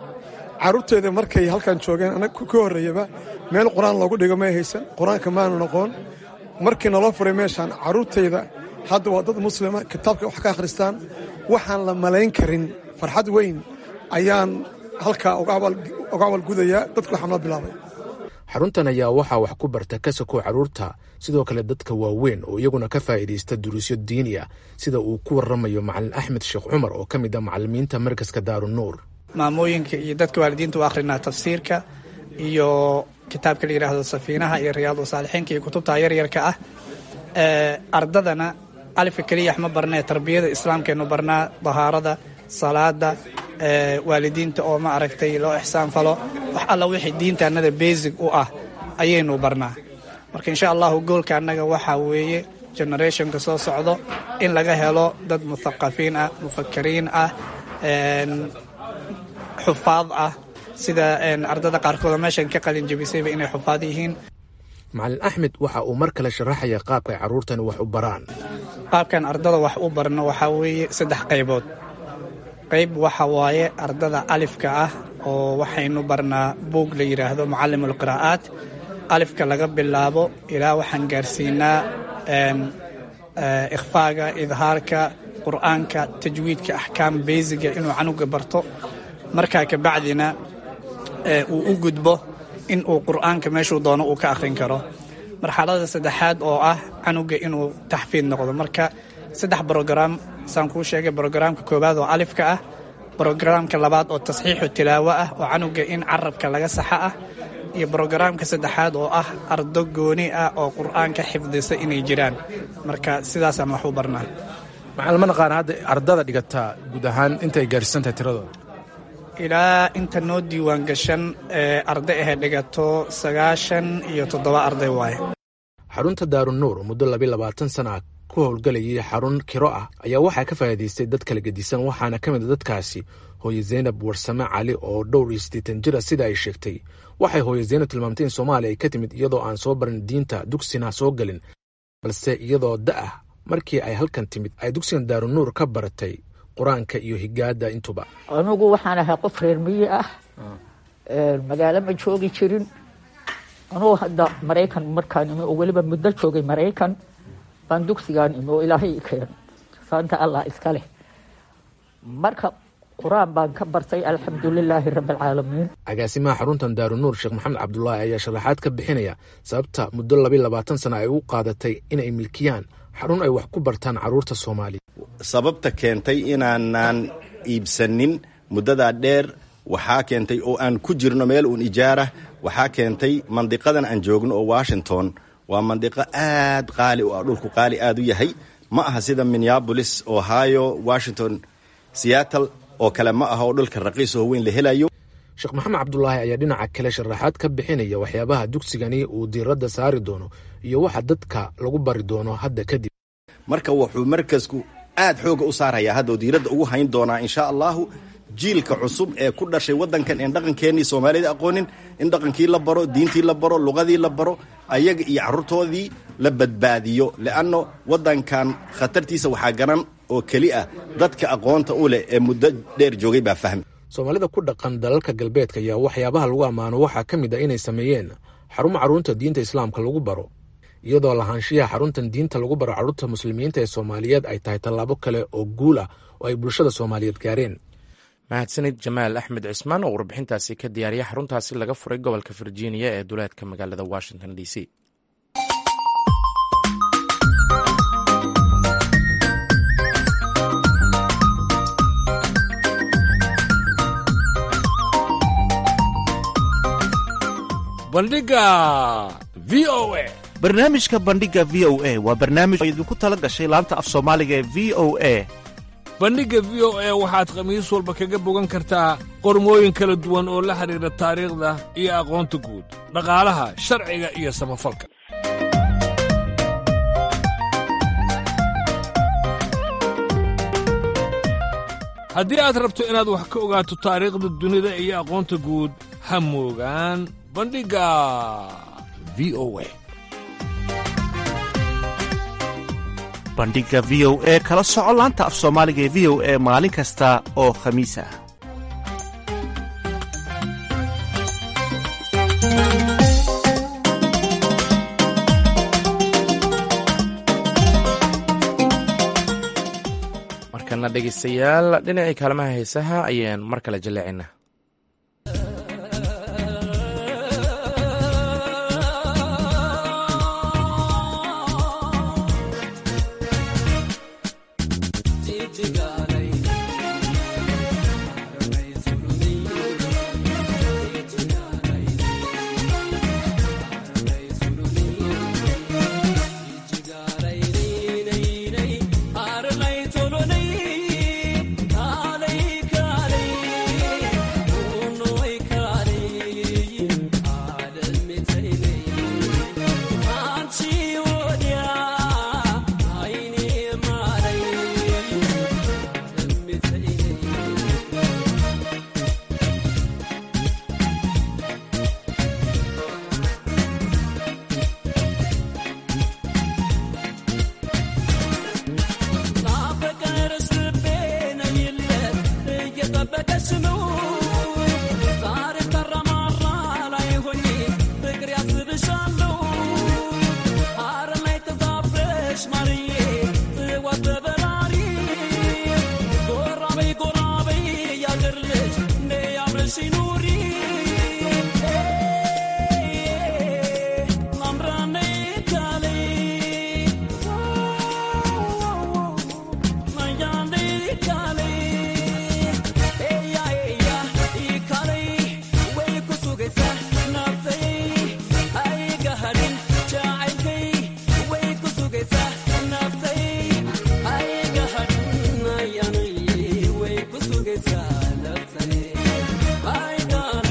Carruurteeda markay halkan joogeen, anaga ka horreeyaba meel qur-aan loogu dhigo may haysan, qur-aanka maanu noqon. Markii naloo furay meeshaan, carruurtayda hadda waa dad muslima, kitaabka wax ka akhristaan. Waxaan la malayn karin farxad weyn ayaan halkaa uga abaalgudayaa dadka waxaa noo bilaabay. Xaruntan ayaa waxaa wax ku barta ka sokow carruurta sidoo kale dadka waaweyn oo iyaguna ka faa'iidaysta duruusyo diini ah, sida uu ku warramayo Macalin Axmed Sheekh Cumar oo ka mid ah macallimiinta markaska Daarunuur. Maamooyinka iyo dadka waalidiinta u akhrinaa tafsiirka iyo kitaabka la yidhaahdo Safiinaha iyo Riyaadu Saalixiinka iyo kutubta yaryarka ah. Ardadana alifka keliya ma barnee, tarbiyada islaamkeenu barnaa, dahaarada, salaada, waalidiinta oo ma aragtay loo ixsaan falo, wax alla wixii diinta annada basic u ah ayaynu barnaa. Marka insha allahu goolka annaga waxaa weeye generationka soo socdo in laga helo dad muthaqafiin ah, mufakiriin ah, xufaad ah, sida ardada qaarkooda meeshan ka qalin jebisayba inay xufaad yihiin. Macalin Axmed waxa uu mar kale sharaxaya qaabka ay carruurtani wax u baraan. Qaabkan ardada wax u barno waxaa weeye saddex qaybood. Qayb waxa waaye ardada alifka ah oo waxaynu barnaa buug la yidhaahdo Mucallimul Qiraa'aat. Alifka laga bilaabo ilaa waxaan gaarsiinaa ikhfaaga, idhaarka qur'aanka, tajwiidka, axkaam beysiga inuu canuga barto. Markaa kabacdina uu u gudbo in uu qur'aanka meeshuu doono uu ka akhrin karo. Marxalada saddexaad oo ah canuga inuu taxfiid noqdo. Marka saddex brograam saan kuu sheegay: brogaraamka koowaad oo alifka ah, brogaraamka labaad oo tasxiixu tilaawo ah oo canuga in carabka laga saxa ah, iyo brogaraamka saddexaad oo ah ardo gooni ah oo qur'aanka xifdisa inay jiraan. Marka sidaasaan wax u barnaa. Macalin, ma naqaan hadda ardada dhigataa guud ahaan intay gaarsiisan tahay tiradooda? Ilaa inta noo diiwaan gashan ee arday ahay dhigato sagaashan iyo toddoba arday waaye. Xarunta Daarunuur oo muddo labiyo labaatan sana ku howlgalayay xarun kiro ah ayaa waxaa ka faa'iidaystay dad kala gedisan, waxaana ka mid a dadkaasi hooye Zaynab Warsame Cali oo dhowr iyo siddeetan jir ah. Sida ay sheegtay, waxay hooye Zaynab tilmaamtay in Soomaaliya ay ka timid iyadoo aan soo barin diinta, dugsina soo gelin, balse iyadoo da ah markii ay halkan timid ay dugsigan Daarunuur ka baratay qur-aanka iyo higaada intuba. Anugu waxaan ahay qof reer miyi ah, magaalo ma joogi jirin. Anugu hadda Maraykan markaan imi oo weliba muddo joogay Maraykan baan dugsigaan imi oo Ilaahay i keen, saanta Allah iska leh. Marka qur-aan baan ka bartay, alxamdulilaahi rabbi alcaalamiin. Agaasimaha xaruntan Daarunuur, Sheekh Maxamed Cabdulaahi, ayaa sharaxaad ka bixinaya sababta muddo labiyo labaatan sana ay u qaadatay inay milkiyaan xarun ay wax ku bartaan carruurta Soomaaliya. Sababta keentay inaanaan iibsanin muddadaa dheer waxaa keentay oo aan ku jirno meel uun ijaarah, waxaa keentay mandiqadan aan joogno oo Washington waa mandiqo aad qaali u ah, dhulku qaali aad u yahay. Ma aha sida Minneapolis, Ohio, Washington, Seattle oo kale ma aha oo dhulka raqiis oo weyn la helayo. Sheekh Maxamed Cabdulaahi ayaa dhinaca kale sharaxaad ka bixinaya waxyaabaha dugsigani uu diiradda saari doono iyo waxa dadka lagu bari doono hadda kadib. Marka wuxuu markasku aad xooga u saarayaa hadda oo diiradda ugu hayn doonaa, insha allahu, jiilka cusub ee ku dhashay waddankan een dhaqankeennii Soomaalida aqoonin in dhaqankii la baro, diintii la baro, luqadii la baro, ayaga iyo carruurtoodii la badbaadiyo, le'anno waddankan khatartiisa waxaa garan oo keli ah dadka aqoonta u leh ee muddo dheer joogay baa fahmi. Soomaalida ku dhaqan dalalka galbeedka ayaa waxyaabaha lagu ammaano waxaa ka mid ah inay sameeyeen xarumo carruurta diinta islaamka lagu baro. iyadoo lahaanshiyaha xaruntan diinta lagu baro carruurta muslimiinta ee Soomaaliyeed ay tahay tallaabo kale oo guul ah oo ay bulshada Soomaaliyeed gaareen. Mahadsanid Jamaal Axmed Cismaan oo warbixintaasi ka diyaariya xaruntaasi laga furay gobolka Virginia ee duleedka magaalada Washington D C. Bandhiga V O A. Barnaamijka Bandhiga V O A waa barnaamij oo idinku tala gashay laanta af Soomaaliga ee V O A. Bandhigga V O A waxaad khamiis walba kaga bogan kartaa qormooyin kala duwan oo la xidhiidha taariikhda iyo aqoonta guud, dhaqaalaha, sharciga iyo samafalka. Haddii aad rabto inaad wax ka ogaato taariikhda dunida iyo aqoonta guud, ha moogaan Bandhigga V O A. Bandhiga V O A kala soco laanta af Soomaaliga ee V O A maalin kasta oo khamiis ah. Markana dhegeystayaal, dhinacii kaalmaha heesaha ayaan mar kale jaleecinaa. I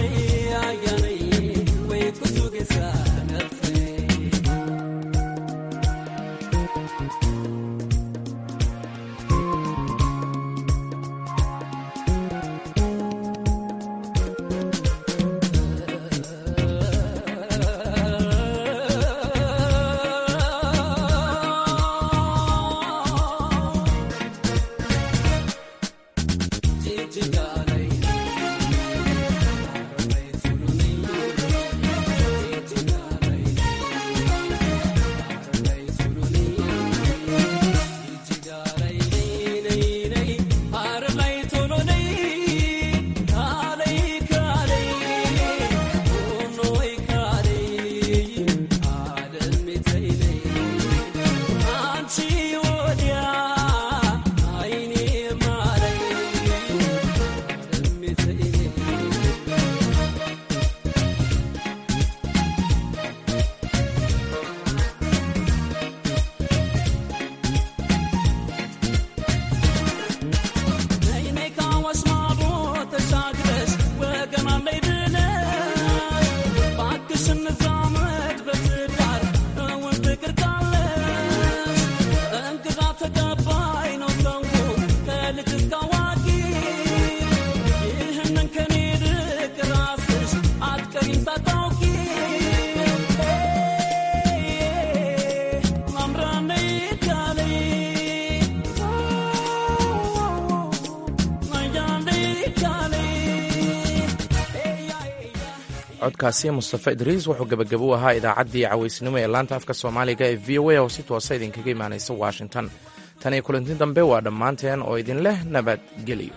Codkaasi Mustafa Idriis wuxuu gebagabo u ahaa idaacaddii cawaysnimo ee laanta afka Soomaaliga ee V O A oo si toosa idinkaga imaanaysa Washington. Tan iyo kulanti dambe, waa dhammaanteen oo idin leh nabadgelyo.